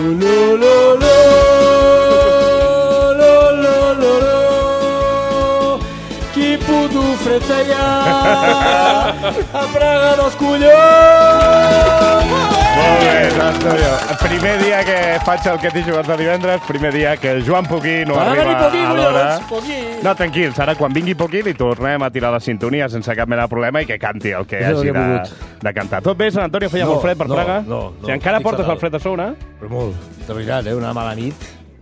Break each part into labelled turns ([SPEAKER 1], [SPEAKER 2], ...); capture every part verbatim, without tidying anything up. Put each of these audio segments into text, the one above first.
[SPEAKER 1] lo, lo, lo, lo, lo, lo, lo. Qui puto fred feia a Praga dels collons!
[SPEAKER 2] Molt bé, Antonio. Primer dia que faig el que t'he jugat de divendres, primer dia que el Joan Poquí no
[SPEAKER 1] Va
[SPEAKER 2] arriba
[SPEAKER 1] Poquí,
[SPEAKER 2] a l'hora.
[SPEAKER 1] Poquí.
[SPEAKER 2] No, tranquils, ara quan vingui Poquí li tornem a tirar la sintonia sense cap mena de problema i que canti el que
[SPEAKER 1] És el
[SPEAKER 2] hagi
[SPEAKER 1] que he
[SPEAKER 2] de,
[SPEAKER 1] volgut.
[SPEAKER 2] de cantar. Tot bé, Sant Antonio? Feia
[SPEAKER 1] No,
[SPEAKER 2] molt fred per
[SPEAKER 1] no,
[SPEAKER 2] Praga?
[SPEAKER 1] no, no.
[SPEAKER 2] Si encara
[SPEAKER 1] Estic
[SPEAKER 2] portes
[SPEAKER 1] fatal.
[SPEAKER 2] el fred a sobre?
[SPEAKER 1] Però molt, de veritat, eh? Una mala nit.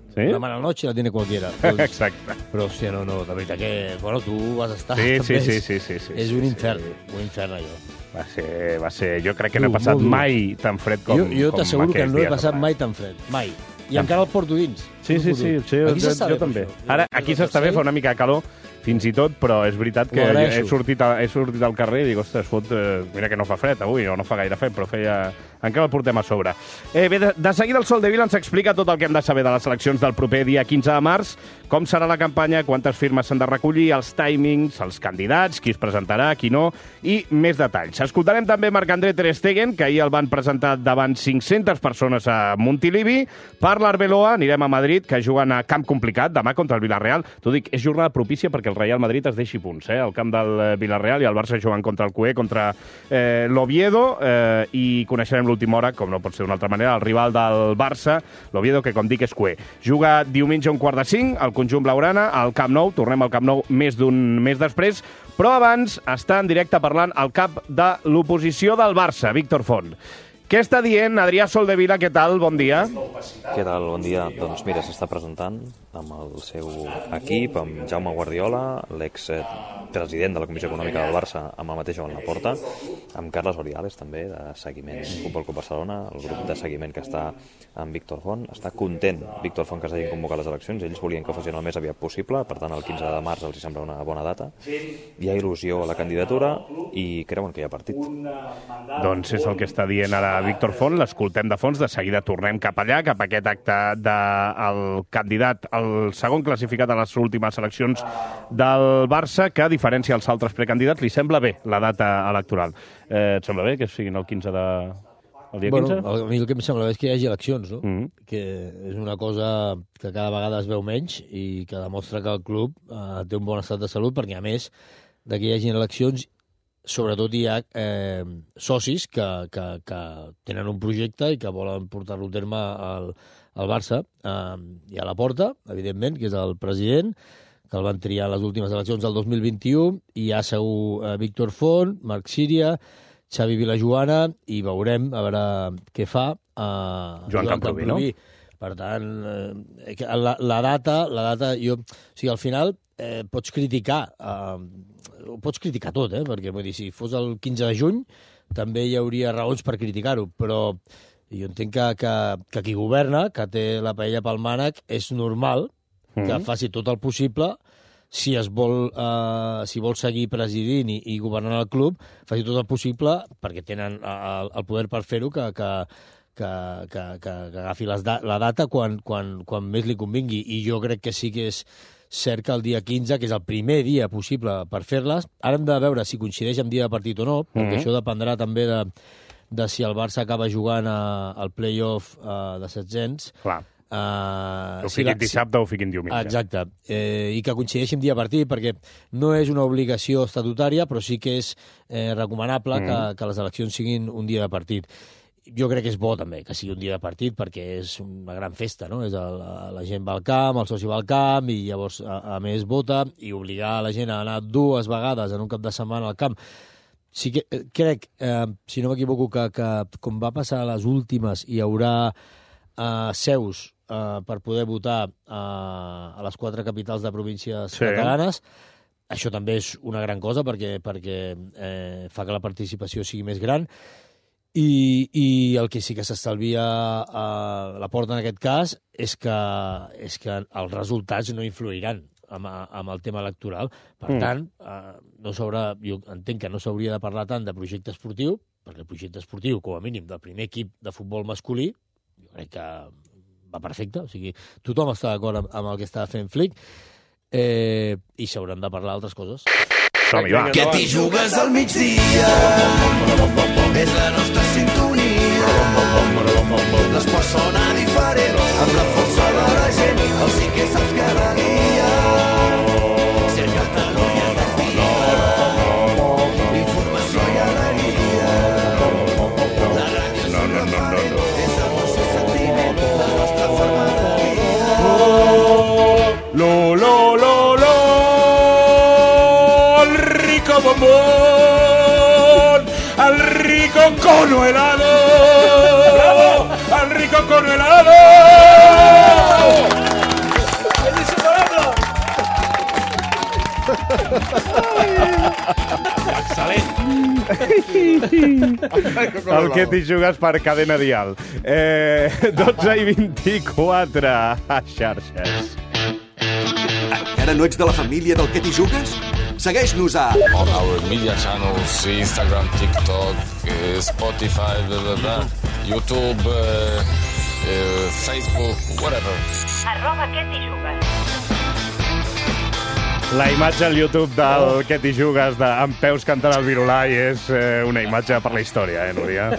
[SPEAKER 2] Sí?
[SPEAKER 1] Una mala noche la tiene cualquiera. Doncs,
[SPEAKER 2] Exacte.
[SPEAKER 1] però, hòstia, no, no, de veritat que... Bueno, tu vas estar...
[SPEAKER 2] Sí, sí,
[SPEAKER 1] també.
[SPEAKER 2] sí, sí, sí, sí,
[SPEAKER 1] És
[SPEAKER 2] sí,
[SPEAKER 1] un
[SPEAKER 2] sí.
[SPEAKER 1] infern, un infern, allò.
[SPEAKER 2] Va ser, va ser... Jo crec que
[SPEAKER 1] Dur,
[SPEAKER 2] no he passat
[SPEAKER 1] molt dur.
[SPEAKER 2] mai tan fred com,
[SPEAKER 1] Jo, jo
[SPEAKER 2] com
[SPEAKER 1] t'asseguro que
[SPEAKER 2] aquells
[SPEAKER 1] no he
[SPEAKER 2] dies.
[SPEAKER 1] passat mai tan fred. Mai. I encara el porto dins.
[SPEAKER 2] Sí, sí, sí, sí
[SPEAKER 1] Aquí
[SPEAKER 2] jo,
[SPEAKER 1] s'està
[SPEAKER 2] jo
[SPEAKER 1] bé, per
[SPEAKER 2] també.
[SPEAKER 1] això.
[SPEAKER 2] Ara,
[SPEAKER 1] Jo-
[SPEAKER 2] aquí
[SPEAKER 1] jo
[SPEAKER 2] s'està bé,
[SPEAKER 1] sé.
[SPEAKER 2] fa una mica de calor, fins i tot, però és veritat que
[SPEAKER 1] Ho
[SPEAKER 2] jo
[SPEAKER 1] agraeixo.
[SPEAKER 2] he sortit, a, he sortit al carrer i dic, ostres, fot, eh, mira que no fa fred avui, o no fa gaire fred, però feia... Encara el portem a sobre. Eh, bé, de, de seguida el Sol de Vila ens explica tot el que hem de saber de les eleccions del proper dia quinze de març, com serà la campanya, quantes firmes s'han de recollir, els timings, els candidats, qui es presentarà, qui no, i més detalls. Escoltarem també Marc-André Ter Stegen, que ahir el van presentar davant cinc-centes persones a Montilivi. Per l'Arbeloa anirem a Madrid, que juguen a camp complicat, demà contra el Villarreal. T'ho dic, és jornada propícia perquè el Real Madrid es deixi punts, eh? El camp del eh, Villarreal i el Barça juguen contra el Cué, contra eh, l'Oviedo, eh, i coneixerem l'última hora, com no pot ser d'una altra manera, el rival del Barça, l'Oviedo, que com dic és Cué. Juga diumenge a un quart de cinc, el conjunt blaugrana, al Camp Nou, tornem al Camp Nou més d'un mes després, però abans està en directe parlant el cap de l'oposició del Barça, Víctor Font. Què està dient Adrià Soldevila? Què tal? Bon dia.
[SPEAKER 3] Què tal? Bon dia. Doncs mira, s'està presentant amb el seu equip, amb Jaume Guardiola, l'ex-president de la Comissió Econòmica del Barça, amb el mateix Joan Laporta, amb Carles Oriales, també, de seguiment Futbol Club Barcelona, el grup de seguiment que està amb Víctor Font. Està content Víctor Font que s'hagin convocat les eleccions. Ells volien que fossin el més aviat possible, per tant, el quinze de març els hi sembla una bona data. Hi ha il·lusió a la candidatura i creuen que hi ha partit.
[SPEAKER 2] Doncs és el que està dient ara Víctor Font, l'escoltem de fons, de seguida tornem cap allà, cap a aquest acte del candidat, el segon classificat a les últimes eleccions del Barça, que a diferència dels altres precandidats li sembla bé la data electoral. Eh, et sembla bé que siguin el quinze de... el dia quinze?
[SPEAKER 1] Bueno, a mi el que em sembla bé és que hi hagi eleccions, no?
[SPEAKER 2] Mm-hmm.
[SPEAKER 1] Que és una cosa que cada vegada es veu menys i que demostra que el club eh, té un bon estat de salut, perquè a més de que hi hagi eleccions, sobretot hi ha eh, socis que, que, que tenen un projecte i que volen portar-lo a terme al, al Barça. Eh, hi ha Laporta, evidentment, que és el president, que el van triar a les últimes eleccions del dos mil vint-i-u, i hi ha segur eh, Víctor Font, Marc Síria, Xavi Vilajoana, i veurem a veure què fa eh,
[SPEAKER 2] Joan Camproví, no?
[SPEAKER 1] Per tant, eh, la, la data, la data, jo... O sigui, al final eh, pots criticar, eh, ho pots criticar tot, eh? Perquè, vull dir, si fos el quinze de juny, també hi hauria raons per criticar-ho, però jo entenc que, que, que qui governa, que té la paella pel mànec, és normal que
[SPEAKER 2] Mm-hmm.
[SPEAKER 1] faci tot el possible, si es vol, eh, si vol seguir presidint i, i governant el club, faci tot el possible, perquè tenen el, el poder per fer-ho, que, que, que, que, que, que agafi les da la data quan, quan, quan més li convingui. I jo crec que sí que és cert que el dia quinze, que és el primer dia possible per fer-les, ara hem de veure si coincideix amb dia de partit o no, perquè
[SPEAKER 2] Mm-hmm.
[SPEAKER 1] això dependrà també de, de si el Barça acaba jugant a, al play-off uh, de set-cents.
[SPEAKER 2] Clar.
[SPEAKER 1] Uh,
[SPEAKER 2] Ho fiquin dissabte o ho fiquin diumenge.
[SPEAKER 1] Exacte. Eh, I que coincideixi amb dia partit, perquè no és una obligació estatutària, però sí que és eh, recomanable mm. que, que les eleccions siguin un dia de partit. Jo crec que és bo també que sigui un dia de partit, perquè és una gran festa, no? És el, la gent va al camp, el soci va al camp, i llavors, a, a més, vota, i obligar la gent a anar dues vegades en un cap de setmana al camp. Sí que eh, crec, eh, si no m'equivoco, que, que com va passar a les últimes, hi haurà eh, seus Uh, per poder votar uh, a les quatre capitals de províncies
[SPEAKER 2] sí.
[SPEAKER 1] catalanes. Això també és una gran cosa perquè, perquè eh, fa que la participació sigui més gran. I, i el que sí que s'estalvia a la porta en aquest cas és que, és que els resultats no influiran amb, amb el tema electoral. Per mm. tant, uh, no s'haurà, jo entenc que no s'hauria de parlar tant de projecte esportiu, perquè el projecte esportiu, com a mínim, del primer equip de futbol masculí, jo crec que va perfecte, o sigui, tothom està d'acord amb, amb el que està fent Flick, eh, i s'hauran de parlar d'altres coses.
[SPEAKER 2] Som-hi, va.
[SPEAKER 4] Que t'hi jugues al migdia, és la nostra sintonia. L'esport sona diferent.
[SPEAKER 2] rico cono helado! ¡Bravo! ¡Al rico cono helado! Excel·lent. El que t'hi jugues per cadena dial. Eh, dotze i vint-i-quatre a xarxes.
[SPEAKER 4] Encara no ets de la família del que t'hi jugues? Segueix-nos a...
[SPEAKER 5] On our media channels, Instagram, TikTok, uh, Spotify, blah, blah, blah, YouTube, uh, uh, Facebook, whatever.
[SPEAKER 6] Arroba què t'hi jugues.
[SPEAKER 2] La imatge al YouTube del que t'hi jugues de, amb peus cantant el virulai és eh, una imatge per la història, eh, Núria?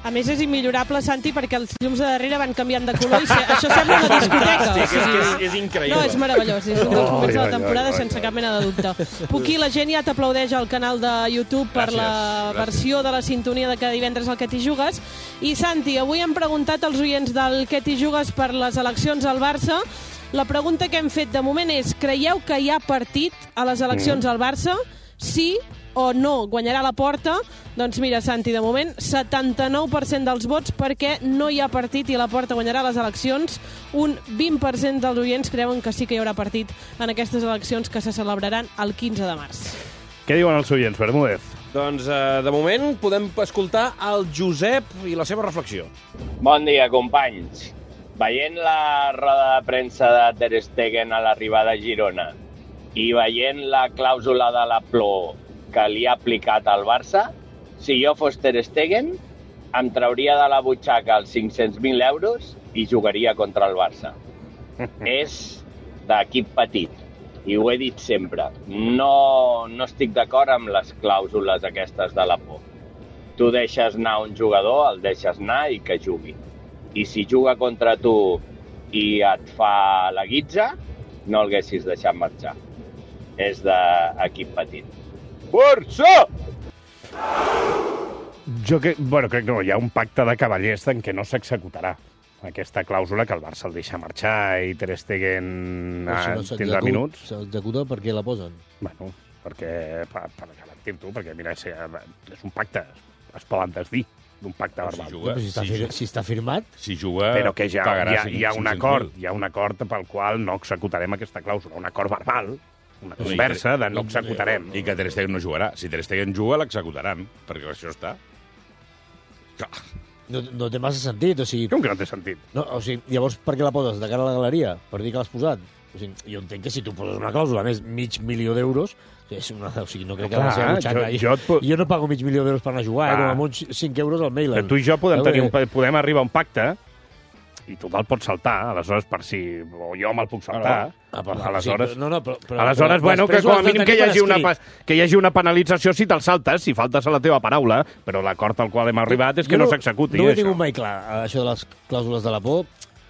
[SPEAKER 7] A més, és immillorable, Santi, perquè els llums de darrere van canviant de color i això sembla una discoteca.
[SPEAKER 8] És, és, és, és increïble.
[SPEAKER 7] No, és meravellós. És un dels moments de la temporada
[SPEAKER 2] oi, oi,
[SPEAKER 7] sense cap mena de dubte. Puqui, la gent ja t'aplaudeix al canal de YouTube per
[SPEAKER 8] Gràcies,
[SPEAKER 7] la
[SPEAKER 8] gràcies.
[SPEAKER 7] versió de la sintonia de cada divendres al que t'hi jugues. I, Santi, avui hem preguntat als oients del que t'hi jugues per les eleccions al Barça. La pregunta que hem fet de moment és: creieu que hi ha partit a les eleccions al Barça? Sí o no? Guanyarà la Porta? Doncs mira, Santi, de moment, setanta-nou per cent dels vots perquè no hi ha partit i la Porta guanyarà les eleccions. Un vint per cent dels oients creuen que sí que hi haurà partit en aquestes eleccions que se celebraran el quinze de març.
[SPEAKER 2] Què diuen els oients, Bermúdez?
[SPEAKER 8] Doncs, eh, de moment, podem escoltar el Josep i la seva reflexió.
[SPEAKER 9] Bon dia, companys. Veient la roda de premsa de Ter Stegen a l'arribada a Girona i veient la clàusula de la Plor que li ha aplicat al Barça, si jo fos Ter Stegen, em trauria de la butxaca els cinc-cents mil euros i jugaria contra el Barça. És d'equip petit, i ho he dit sempre. No, no estic d'acord amb les clàusules aquestes de la por. Tu deixes anar un jugador, el deixes anar i que jugui. I si juga contra tu i et fa la guitza, no el haguessis deixat marxar. És d'equip petit. Barça!
[SPEAKER 2] Jo que, bueno, crec que no, hi ha un pacte de cavallers en què no s'executarà aquesta clàusula que el Barça el deixa marxar i Ter Stegen
[SPEAKER 1] Però si
[SPEAKER 2] ah,
[SPEAKER 1] no
[SPEAKER 2] tindrà
[SPEAKER 1] s'executa-
[SPEAKER 2] minuts.
[SPEAKER 1] S'executa perquè la posen.
[SPEAKER 2] Bueno, perquè, per, per garantir-t'ho, perquè mira, és, és un pacte, es poden desdir d'un pacte
[SPEAKER 8] Però si
[SPEAKER 2] verbal.
[SPEAKER 8] juga-
[SPEAKER 1] Però si, està
[SPEAKER 8] si
[SPEAKER 1] fir
[SPEAKER 8] juga-
[SPEAKER 1] si està firmat,
[SPEAKER 8] Si juga,
[SPEAKER 2] Però que ja hi
[SPEAKER 8] pagarà
[SPEAKER 2] ha, hi ha un acord,
[SPEAKER 8] cinc-cents mil.
[SPEAKER 2] hi ha un acord pel qual no executarem aquesta clàusula, un acord verbal, una
[SPEAKER 8] No, i
[SPEAKER 2] conversa
[SPEAKER 8] que-
[SPEAKER 2] de no executarem.
[SPEAKER 8] I que Ter Stegen no jugarà. Si Ter Stegen juga, l'executaran, perquè això està. Clar.
[SPEAKER 1] no, no té massa sentit. O sigui,
[SPEAKER 2] Com que no té sentit?
[SPEAKER 1] no, o sigui, llavors per què la poses? De cara a la galeria? Per dir que l'has posat? O sigui, jo entenc que si tu poses una clàusula, a més, mig milió d'euros, és una, o sigui, no crec que
[SPEAKER 2] Clar,
[SPEAKER 1] la seva butxaca...
[SPEAKER 2] jo- jo et pu-
[SPEAKER 1] jo no pago mig milió d'euros per anar a jugar, eh,
[SPEAKER 2] Clar.
[SPEAKER 1] com amb uns cinc euros al mail.
[SPEAKER 2] Que tu i jo podem,
[SPEAKER 1] Veu
[SPEAKER 2] tenir un,
[SPEAKER 1] que-
[SPEAKER 2] podem arribar a un pacte i tu te'l pots saltar, aleshores, per si... O jo me'l puc saltar.
[SPEAKER 1] Ah, però-
[SPEAKER 2] aleshores,
[SPEAKER 1] sí, però- no, no, però- però-
[SPEAKER 2] aleshores
[SPEAKER 1] però
[SPEAKER 2] bueno, que
[SPEAKER 1] després ho
[SPEAKER 2] com a
[SPEAKER 1] has de
[SPEAKER 2] mínim que
[SPEAKER 1] tenir
[SPEAKER 2] hi,
[SPEAKER 1] per
[SPEAKER 2] hagi una,
[SPEAKER 1] escrit.
[SPEAKER 2] pa- que hi hagi una penalització si te'l saltes, si faltes a la teva paraula, però l'acord al qual hem arribat és que
[SPEAKER 1] Jo
[SPEAKER 2] no s'executi.
[SPEAKER 1] No ho he
[SPEAKER 2] això.
[SPEAKER 1] tingut mai clar, això de les clàusules de la por,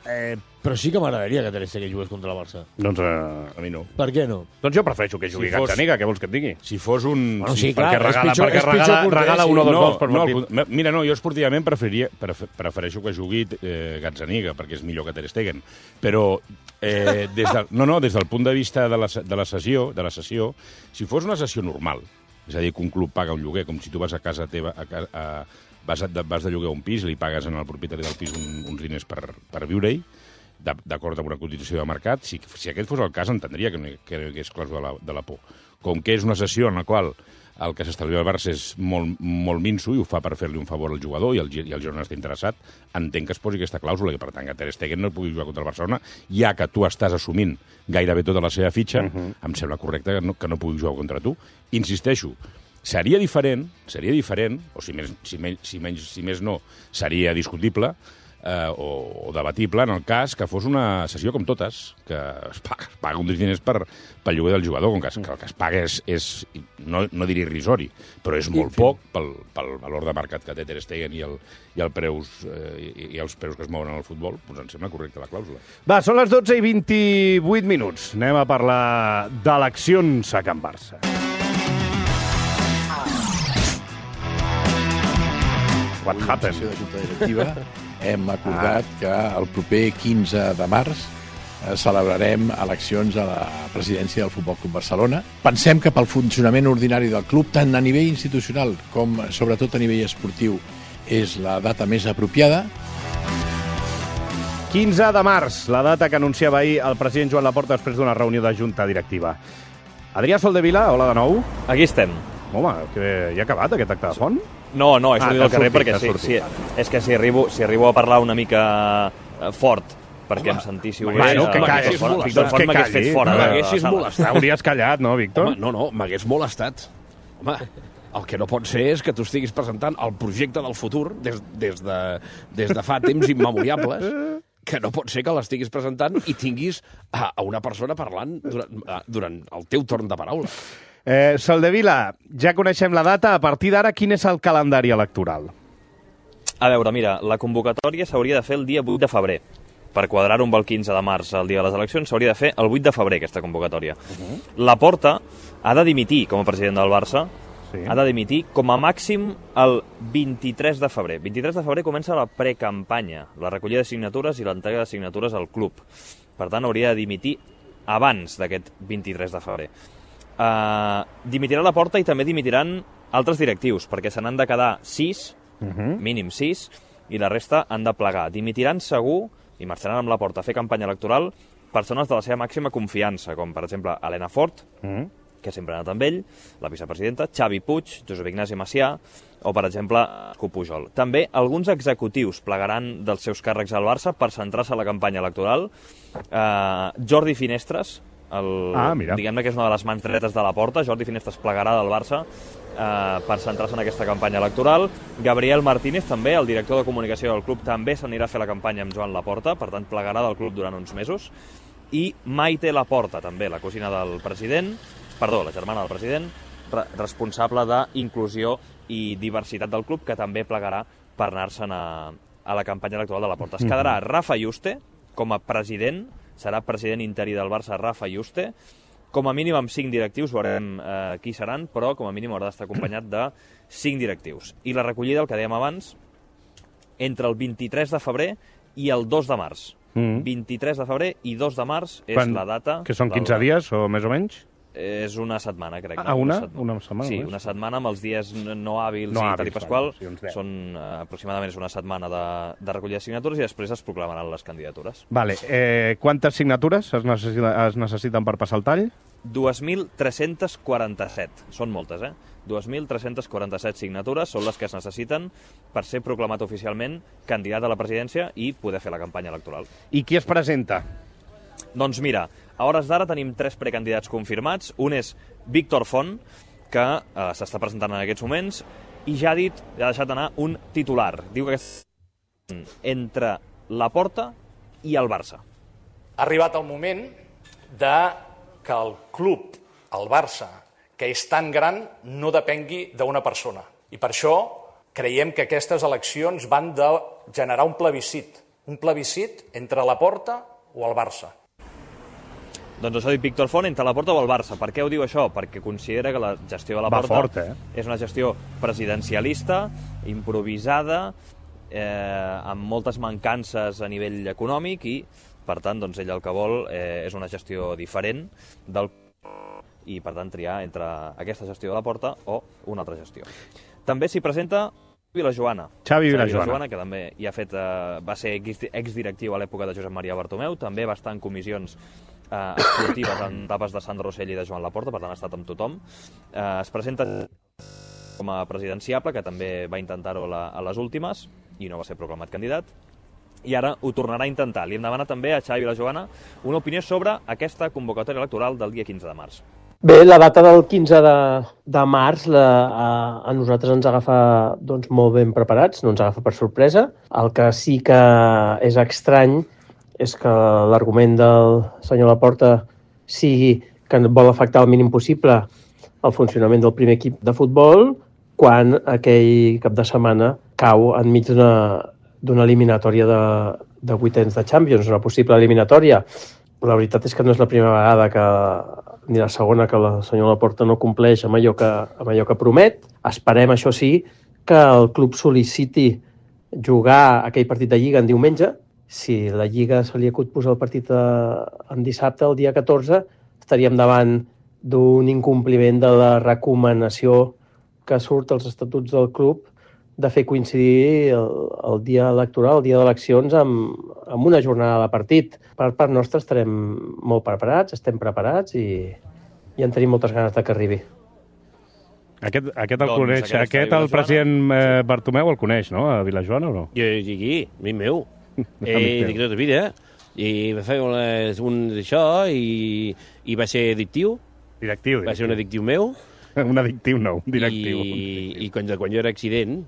[SPEAKER 1] eh, però sí que m'agradaria que Ter Stegen jugués contra el Barça.
[SPEAKER 2] Doncs, eh,
[SPEAKER 8] A mi no.
[SPEAKER 1] Per què no?
[SPEAKER 2] doncs jo prefereixo que jugui
[SPEAKER 8] Si fos-
[SPEAKER 2] Gazzaniga, què vols que et digui?
[SPEAKER 8] Si fos un...
[SPEAKER 1] Bueno,
[SPEAKER 8] si-
[SPEAKER 1] sí, clar,
[SPEAKER 2] perquè regala,
[SPEAKER 1] és pitjor,
[SPEAKER 2] perquè
[SPEAKER 1] és pitjor
[SPEAKER 2] regala,
[SPEAKER 1] porter,
[SPEAKER 2] regala
[SPEAKER 1] sí.
[SPEAKER 2] un o dos
[SPEAKER 8] no,
[SPEAKER 2] gols per
[SPEAKER 8] no,
[SPEAKER 2] partit.
[SPEAKER 8] al- mira, no, jo esportivament preferiria, pref, prefereixo que jugui eh, Gazzaniga, perquè és millor que Ter Stegen. Però eh, des de, no, no, des del punt de vista de la, se- de la sessió, de la sessió, si fos una sessió normal, és a dir, que un club paga un lloguer, com si tu vas a casa teva, a, ca- a, vas, a, vas de lloguer a un pis i li pagues al propietari del pis un, uns diners per, per viure-hi, de- d'acord amb una cotització de mercat, si, si aquest fos el cas entendria que no hi, que no hi hagués clàusula de la, de la por. Com que és una sessió en la qual el que s'estalvia al Barça és molt, molt minso i ho fa per fer-li un favor al jugador i el, Gi- i el Girona està interessat, entenc que es posi aquesta clàusula i per tant que Ter Stegen no pugui jugar contra el Barcelona, ja que tu estàs assumint gairebé tota la seva fitxa, uh -huh. em sembla correcte que no, que no pugui jugar contra tu. Insisteixo, seria diferent, seria diferent, o si més, si menys, si menys, si més no, seria discutible, eh, o, o debatible en el cas que fos una sessió com totes, que es paga, es paga un diners per, pel lloguer del jugador, com que, es, que el que es paga és, és no, no diré irrisori, però és molt poc pel, pel valor de mercat que té Ter Stegen i, el, i, el preus, eh, i, i els preus que es mouen en el futbol, doncs em sembla correcta la clàusula.
[SPEAKER 2] Va, són les dotze i vint-i-vuit minuts. Anem a parlar d'eleccions a Can Barça. What happened?
[SPEAKER 10] De Junta Directiva hem acordat que el proper quinze de març celebrarem eleccions a la presidència del Futbol Club Barcelona. Pensem que pel funcionament ordinari del club, tant a nivell institucional com sobretot a nivell esportiu, és la data més apropiada.
[SPEAKER 2] quinze de març, la data que anunciava ahir el president Joan Laporta després d'una reunió de junta directiva. Adrià Soldevila, hola de nou.
[SPEAKER 3] Aquí estem.
[SPEAKER 2] Home, que ja ha acabat aquest acte de font?
[SPEAKER 3] No, no, he sortit
[SPEAKER 2] ah,
[SPEAKER 3] al carrer
[SPEAKER 2] sortit,
[SPEAKER 3] perquè sí, sí, és que si arribo, si arribo a parlar una mica fort perquè Home, em sentíssiu bé...
[SPEAKER 2] Bueno, que callis,
[SPEAKER 3] Víctor Font m'hagués fet fora de la sala.
[SPEAKER 2] Hauries callat, no, Víctor?
[SPEAKER 11] Home, no, no, m'hagués molestat. Home, el que no pot ser és que tu estiguis presentant el projecte del futur des, des, de, des de fa temps immemoriables, que no pot ser que l'estiguis presentant i tinguis a, a una persona parlant durant, durant el teu torn de paraula.
[SPEAKER 2] Eh, Soldevila, ja coneixem la data. A partir d'ara, quin és el calendari electoral?
[SPEAKER 3] A veure, mira, la convocatòria s'hauria de fer el dia vuit de febrer. Per quadrar-ho amb el quinze de març, el dia de les eleccions, s'hauria de fer el vuit de febrer, aquesta convocatòria. Uh-huh. Laporta ha de dimitir com a president del Barça, sí. ha de dimitir com a màxim el vint-i-tres de febrer. vint-i-tres de febrer comença la precampanya, la recollida de signatures i l'entrega de signatures al club. Per tant, hauria de dimitir abans d'aquest vint-i-tres de febrer. Uh, dimitirà Laporta i també dimitiran altres directius, perquè se n'han de quedar sis, uh-huh. mínim sis, i la resta han de plegar. Dimitiran segur i marxaran amb Laporta a fer campanya electoral persones de la seva màxima confiança, com per exemple Helena Fort, uh-huh. que sempre ha anat amb ell, la vicepresidenta, Xavi Puig, Josep Ignasi Macià, o per exemple Escu Pujol. També alguns executius plegaran dels seus càrrecs al Barça per centrar-se a la campanya electoral. Uh, Jordi Finestres, el,
[SPEAKER 2] ah,
[SPEAKER 3] diguem-ne que és una de les mans dretes de Laporta. Jordi Finestres plegarà del Barça eh, per centrar-se en aquesta campanya electoral. Gabriel Martínez també, el director de comunicació del club, també s'anirà a fer la campanya amb Joan Laporta, per tant plegarà del club durant uns mesos. I Maite Laporta també, la cosina del president, perdó, la germana del president, re responsable d'inclusió i diversitat del club, que també plegarà per anar-se'n a, a la campanya electoral de Laporta. Es quedarà Rafa Yuste com a president, serà president interí del Barça Rafa Yuste, com a mínim amb cinc directius, veurem eh, qui seran, però com a mínim haurà d'estar acompanyat de cinc directius. I la recollida, el que dèiem abans, entre el vint-i-tres de febrer i el dos de març. Mm. vint-i-tres de febrer i dos de març és Quan, la data...
[SPEAKER 2] Que són quinze del... dies o més o menys?
[SPEAKER 3] És una setmana, crec.
[SPEAKER 2] Ah, una? Una setmana?
[SPEAKER 3] Sí, una setmana amb els dies no hàbils
[SPEAKER 2] no
[SPEAKER 3] i
[SPEAKER 2] hàbils,
[SPEAKER 3] tal i pasqual.
[SPEAKER 2] Sí,
[SPEAKER 3] són uh, aproximadament una setmana de, de recollida de signatures i després es proclamaran les candidatures.
[SPEAKER 2] Vale. Eh, quantes signatures es, necessita, es necessiten per passar el tall?
[SPEAKER 3] dos mil tres-cents quaranta-set. Són moltes, eh? dos mil tres-cents quaranta-set signatures són les que es necessiten per ser proclamat oficialment candidat a la presidència i poder fer la campanya electoral.
[SPEAKER 2] I qui es presenta?
[SPEAKER 3] Doncs mira, a hores d'ara tenim tres precandidats confirmats. Un és Víctor Font, que eh, s'està presentant en aquests moments, i ja ha dit, ja ha deixat anar un titular. Diu que és entre Laporta i el Barça.
[SPEAKER 12] Ha arribat el moment de que el club, el Barça, que és tan gran, no depengui d'una persona. I per això creiem que aquestes eleccions van de generar un plebiscit. Un plebiscit entre Laporta o el Barça.
[SPEAKER 3] Doncs això ha dit Víctor Font, entre Laporta o el Barça. Per què ho diu això? Perquè considera que la gestió de Laporta
[SPEAKER 2] fort, eh?
[SPEAKER 3] és una gestió presidencialista, improvisada, eh, amb moltes mancances a nivell econòmic i, per tant, doncs, ell el que vol eh, és una gestió diferent del i, per tant, triar entre aquesta gestió de Laporta o una altra gestió. També s'hi presenta Vilajoana.
[SPEAKER 2] Xavi Vilajoana.
[SPEAKER 3] Que també hi ha fet, eh, va ser exdirectiu a l'època de Josep Maria Bartomeu, també va estar en comissions eh, esportives en etapes de Sandro Rosell i de Joan Laporta, per tant ha estat amb tothom. Eh, es presenta com a presidenciable, que també va intentar-ho a les últimes i no va ser proclamat candidat. I ara ho tornarà a intentar. Li hem demanat també a Xavi Vilajoana una opinió sobre aquesta convocatòria electoral del dia quinze de març.
[SPEAKER 13] Bé, la data del quinze de, de març la, a, a nosaltres ens agafa doncs, molt ben preparats, no ens agafa per sorpresa. El que sí que és estrany és que l'argument del senyor Laporta sigui que vol afectar el mínim possible el funcionament del primer equip de futbol quan aquell cap de setmana cau enmig d'una d'una eliminatòria de, de vuitens de Champions, una possible eliminatòria. La veritat és que no és la primera vegada que, ni la segona, que el senyor Laporta no compleix amb allò que, amb allò que promet. Esperem, això sí, que el club sol·liciti jugar aquell partit de Lliga en diumenge si la Lliga se li acut posar el partit en dissabte, el dia catorze, estaríem davant d'un incompliment de la recomanació que surt als estatuts del club de fer coincidir el, el dia electoral, el dia d'eleccions, amb, amb una jornada de partit. Per part nostra estarem molt preparats, estem preparats i, i en tenim moltes ganes de que arribi.
[SPEAKER 2] Aquest, aquest el
[SPEAKER 11] Doncs
[SPEAKER 2] coneix,
[SPEAKER 11] aquest
[SPEAKER 2] aquest,
[SPEAKER 11] està a
[SPEAKER 2] el president eh, Bartomeu el coneix, no?, a Vilajoana, o no?
[SPEAKER 14] Jo digui, amic meu. Eh, dic tota vida. I va fer una, un d'això i, i va ser addictiu.
[SPEAKER 2] Directiu.
[SPEAKER 14] Va ser un addictiu meu.
[SPEAKER 2] Un addictiu no, un directiu.
[SPEAKER 14] I, i quan, quan jo era accident...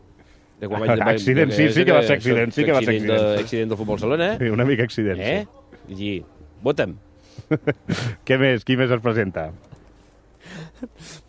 [SPEAKER 14] De quan
[SPEAKER 2] vaig, accident, sí, sí que va ser accident, sí que va ser accident.
[SPEAKER 14] De, accident del Futbol Salona.
[SPEAKER 2] Sí, una mica accident,
[SPEAKER 14] eh?
[SPEAKER 2] sí.
[SPEAKER 14] I vota'm.
[SPEAKER 2] Què més? Qui més es presenta?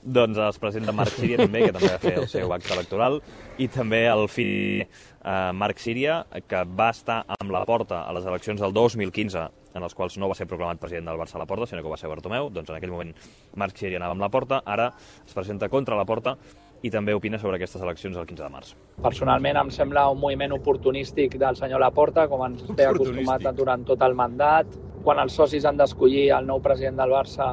[SPEAKER 3] Doncs es presenta Marc Síria també, que també va fer el seu acte electoral, i també el fill eh, Marc Síria, que va estar amb la Porta a les eleccions del dos mil quinze, en els quals no va ser proclamat president del Barça a la Porta, sinó que va ser Bartomeu. Doncs en aquell moment Marc Síria anava amb la Porta, ara es presenta contra la Porta i també opina sobre aquestes eleccions el quinze de març.
[SPEAKER 15] Personalment em sembla un moviment oportunístic del senyor Laporta, com ens té acostumat durant tot el mandat. Quan els socis han d'escollir el nou president del Barça,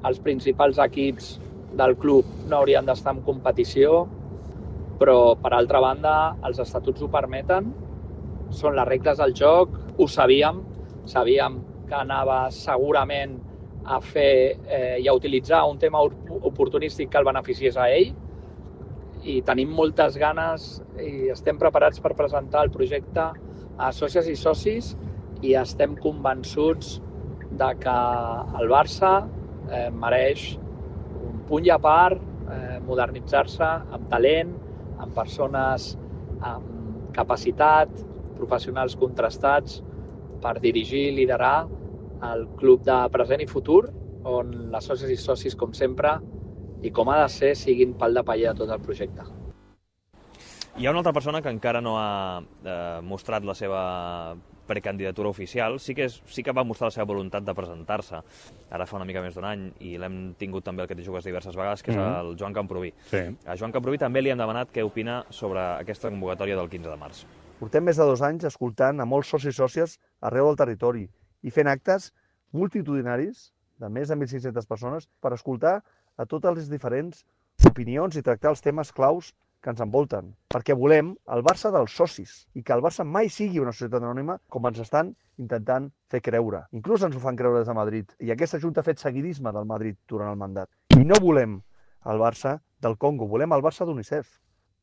[SPEAKER 15] els principals equips del club no haurien d'estar en competició, però, per altra banda, els estatuts ho permeten, són les regles del joc, ho sabíem, sabíem que anava segurament a fer eh, i a utilitzar un tema oportunístic que el beneficiés a ell, i tenim moltes ganes i estem preparats per presentar el projecte a sòcies i socis, i estem convençuts de que el Barça eh, mereix un punt i a part, eh, modernitzar-se amb talent, amb persones amb capacitat, professionals contrastats per dirigir i liderar el club de present i futur, on les sòcies i socis, com sempre, i com ha de ser, siguin pal de paller de tot el projecte.
[SPEAKER 3] Hi ha una altra persona que encara no ha eh, mostrat la seva precandidatura oficial. Sí que, és, sí que va mostrar la seva voluntat de presentar-se ara fa una mica més d'un any, i l'hem tingut també al que t'hi jugues diverses vegades, que és
[SPEAKER 2] Mm-hmm.
[SPEAKER 3] el Joan Camproví.
[SPEAKER 2] Sí.
[SPEAKER 3] A Joan Camproví també li hem demanat què opina sobre aquesta convocatòria del quinze de març.
[SPEAKER 16] Portem més de dos anys escoltant a molts socis i sòcies arreu del territori i fent actes multitudinaris de més de mil cinc-centes persones per escoltar a totes les diferents opinions i tractar els temes claus que ens envolten. Perquè volem el Barça dels socis i que el Barça mai sigui una societat anònima com ens estan intentant fer creure. Inclús ens ho fan creure des de Madrid. I aquesta Junta ha fet seguidisme del Madrid durant el mandat. I no volem el Barça del Congo, volem el Barça d'UNICEF.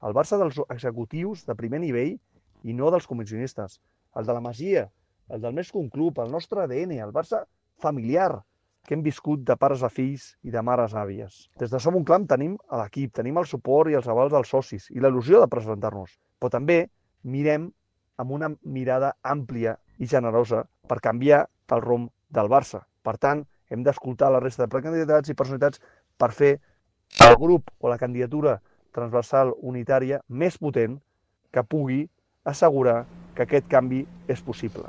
[SPEAKER 16] El Barça dels executius de primer nivell i no dels comissionistes. El de la Masia, el del més que un club, el nostre A D N, el Barça familiar, que hem viscut de pares a fills i de mares a àvies. Des de Som un Clam tenim l'equip, tenim el suport i els avals dels socis i la il·lusió de presentar-nos. Però també mirem amb una mirada àmplia i generosa per canviar el rumb del Barça. Per tant, hem d'escoltar la resta de precandidats i personalitats per fer el grup o la candidatura transversal unitària més potent que pugui assegurar que aquest canvi és possible.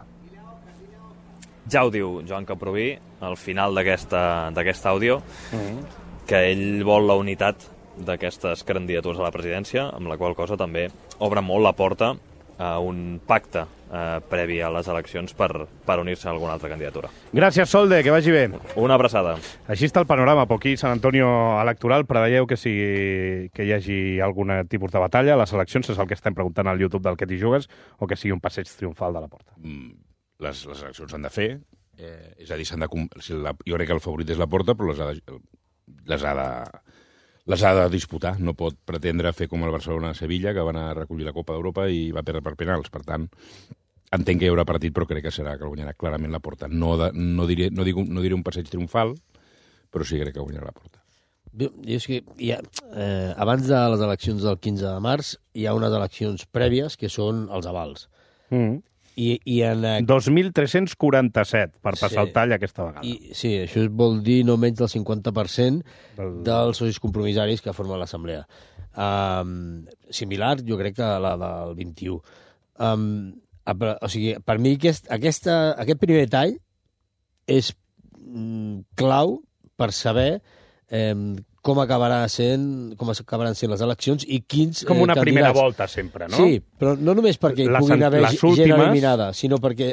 [SPEAKER 3] Ja ho diu Joan Camproví al final d'aquest àudio, mm-hmm. que ell vol la unitat d'aquestes candidatures a la presidència, amb la qual cosa també obre molt la porta a un pacte eh, previ a les eleccions per, per unir-se a alguna altra candidatura.
[SPEAKER 2] Gràcies, Solde, que vagi bé.
[SPEAKER 3] Una abraçada.
[SPEAKER 2] Així està el panorama. Aquí, Sant Antonio electoral, preveieu que, sigui, que hi hagi algun tipus de batalla. Les eleccions és el que estem preguntant al YouTube del Que t'hi jugues, o que sigui un passeig triomfal de la porta.
[SPEAKER 8] Mm, les, les eleccions s'han de fer, eh, és a dir, s'han de, si la, jo crec que el favorit és la porta, però les ha de, les ha de, les ha de disputar. No pot pretendre fer com el Barcelona-Sevilla, que van a recollir la Copa d'Europa i va perdre per penals. Per tant, entenc que hi haurà partit, però crec que serà que el guanyarà clarament la porta. No, de, no, diré, no, dic, no diré un passeig triomfal, però sí crec que guanyarà la porta.
[SPEAKER 1] Jo, és que hi ha, eh, abans de les eleccions del quinze de març hi ha unes eleccions prèvies que són els avals.
[SPEAKER 2] Mm.
[SPEAKER 1] I, i en...
[SPEAKER 2] dos mil tres-cents quaranta-set per passar sí. el tall aquesta vegada.
[SPEAKER 1] I, sí, això vol dir no menys del cinquanta per cent del... dels socis compromissaris que formen l'assemblea. Um, similar, jo crec, que la del vint-i-u. Um, o sigui, per mi aquest, aquesta, aquest primer tall és mm, clau per saber eh, com acabarà sent, com acabaran sent les eleccions i quins
[SPEAKER 2] Com una
[SPEAKER 1] eh,
[SPEAKER 2] primera volta, sempre, no?
[SPEAKER 1] Sí, però no només perquè hi
[SPEAKER 2] Les
[SPEAKER 1] puguin
[SPEAKER 2] an-
[SPEAKER 1] haver
[SPEAKER 2] les
[SPEAKER 1] gent
[SPEAKER 2] últimes-
[SPEAKER 1] eliminada, sinó perquè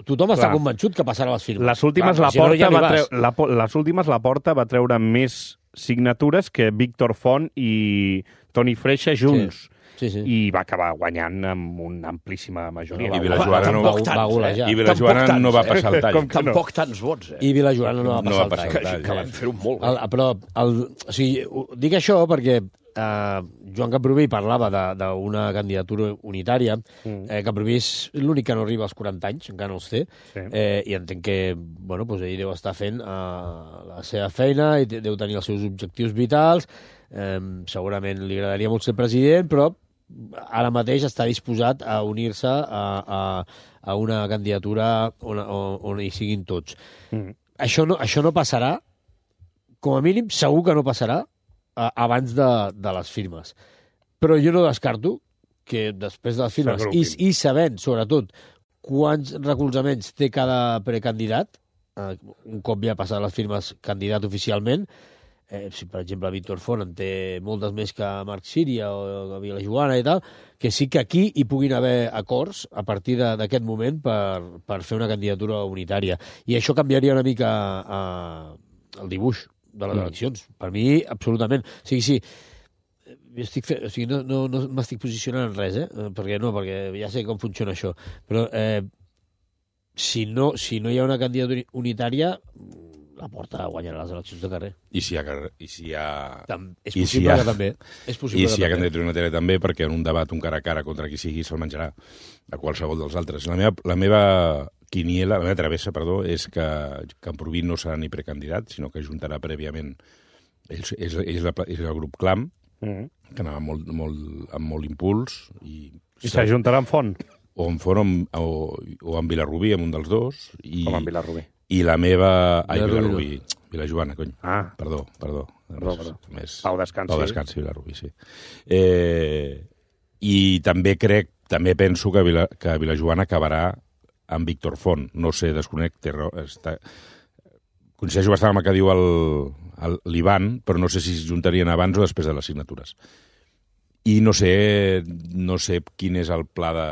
[SPEAKER 1] tothom està
[SPEAKER 2] Clar.
[SPEAKER 1] convençut que passarà les firmes.
[SPEAKER 2] Les últimes,
[SPEAKER 1] Clar,
[SPEAKER 2] la
[SPEAKER 1] si no,
[SPEAKER 2] porta
[SPEAKER 1] ja no hi
[SPEAKER 2] va
[SPEAKER 1] vas.
[SPEAKER 2] treu, la, po- les últimes la porta va treure més signatures que Víctor Font i Toni Freixa junts.
[SPEAKER 1] Sí, sí.
[SPEAKER 2] I va acabar guanyant amb una amplíssima majoria.
[SPEAKER 8] I Vilajoana no-
[SPEAKER 11] Tampoc
[SPEAKER 8] va
[SPEAKER 11] tants,
[SPEAKER 8] golejar.
[SPEAKER 11] eh?
[SPEAKER 8] I Vilajoana
[SPEAKER 11] Tampoc
[SPEAKER 8] no va
[SPEAKER 11] tants,
[SPEAKER 8] passar el tall.
[SPEAKER 11] Com que no? Tampoc tants vots, eh?
[SPEAKER 1] I Vilajoana no va
[SPEAKER 8] No
[SPEAKER 1] passar
[SPEAKER 8] va
[SPEAKER 1] el
[SPEAKER 8] passar
[SPEAKER 1] tall.
[SPEAKER 8] el tall.
[SPEAKER 11] Que van fer-ho molt bé.
[SPEAKER 1] El, però, el, o sigui, ho- dic això perquè eh, Joan Camprubí parlava de- d'una candidatura unitària. Mm. Eh, Camprubí és l'únic que no arriba als quaranta anys, encara no els té,
[SPEAKER 2] Sí.
[SPEAKER 1] eh, i entenc que bueno, doncs ell deu estar fent eh, la seva feina i té- deu tenir els seus objectius vitals. Eh, segurament li agradaria molt ser president, però ara mateix està disposat a unir-se a, a, a una candidatura on, on, on hi siguin tots.
[SPEAKER 2] Mm.
[SPEAKER 1] Això, no, això no passarà, com a mínim segur que no passarà a, abans de, de les firmes. Però jo no descarto que després de les firmes, i, i sabent, sobretot, quants recolzaments té cada precandidat, eh, un cop ja passat les firmes candidat oficialment, eh, si per exemple Víctor Font en té moltes més que Marc Síria o a Vilajoana i tal, que sí que aquí hi puguin haver acords a partir de- d'aquest moment per, per fer una candidatura unitària. I això canviaria una mica eh, el dibuix de les
[SPEAKER 2] Mm.
[SPEAKER 1] eleccions. Per mi, absolutament. O sigui, sí, jo estic fe... o sigui, no, no, no m'estic posicionant en res, eh? Perquè no, perquè ja sé com funciona això. Però eh, si, no, si no hi ha una candidatura unitària, la Porta guanyarà les eleccions de carrer.
[SPEAKER 8] I si hi ha... carrer- I si hi ha...
[SPEAKER 1] Tam- és
[SPEAKER 8] i
[SPEAKER 1] possible que també. És possible
[SPEAKER 8] I
[SPEAKER 1] que
[SPEAKER 8] si hi ha
[SPEAKER 1] també.
[SPEAKER 8] candidatura unitària també, perquè en un debat, un cara a cara contra qui sigui, se'l menjarà a qualsevol dels altres. La meva, la meva quiniela, la meva travessa, perdó, és que Camprubí no serà ni precandidat, sinó que juntarà prèviament... És, és, és, la, és el grup Clam,
[SPEAKER 2] Mm.
[SPEAKER 8] que anava molt, molt, amb molt impuls. I,
[SPEAKER 2] I s'ajuntarà amb Font.
[SPEAKER 8] O amb Font o, amb- o, o amb Vilarrubí, amb un dels dos. I,
[SPEAKER 2] Com amb Vilarrubí.
[SPEAKER 8] I la meva... Ai,
[SPEAKER 2] Vilarrubí.
[SPEAKER 8] Vilarrubí. Vilajoana, cony.
[SPEAKER 2] Ah.
[SPEAKER 8] Perdó, perdó.
[SPEAKER 2] Perdó, perdó.
[SPEAKER 8] Més...
[SPEAKER 2] Pau Descansi.
[SPEAKER 8] Pau Descansi, Vilarrubí, sí. Eh, I també crec, també penso que, Vila, que Vilajoana acabarà amb Víctor Font. No sé, desconec, té raó, està... Coincideixo bastant amb el que diu el, el, l'Ivan, però no sé si es juntarien abans o després de les signatures. I no sé, no sé quin és el pla de,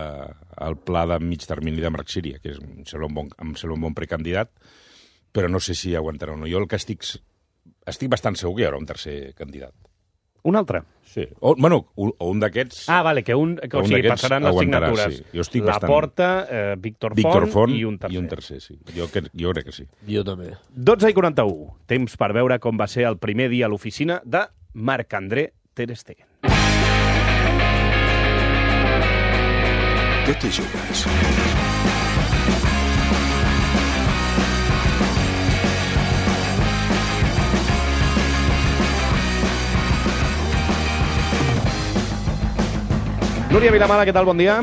[SPEAKER 8] el pla de mig termini de Marc Síria, que és, em sembla un bon, em sembla un bon precandidat, però no sé si aguantarà o no. Jo el que estic... Estic bastant segur que hi haurà un tercer candidat.
[SPEAKER 2] Un altre?
[SPEAKER 8] Sí. O, bueno, un, o un d'aquests...
[SPEAKER 2] Ah, vale, que un, que,
[SPEAKER 8] que
[SPEAKER 2] o
[SPEAKER 8] un
[SPEAKER 2] sigui,
[SPEAKER 8] d'aquests
[SPEAKER 2] passaran les
[SPEAKER 8] aguantarà,
[SPEAKER 2] signatures.
[SPEAKER 8] sí. Jo estic
[SPEAKER 2] La
[SPEAKER 8] bastant...
[SPEAKER 2] Porta, eh, Víctor,
[SPEAKER 8] Víctor
[SPEAKER 2] Font,
[SPEAKER 8] Font
[SPEAKER 2] i un tercer.
[SPEAKER 8] I un tercer, sí. Jo, que, jo crec que sí.
[SPEAKER 1] Jo també.
[SPEAKER 2] dotze i quaranta-u. Temps per veure com va ser el primer dia a l'oficina de Marc-André Ter Stegen.
[SPEAKER 4] Què t'hi jugues?
[SPEAKER 2] Núria Vilamala, què tal? Bon dia.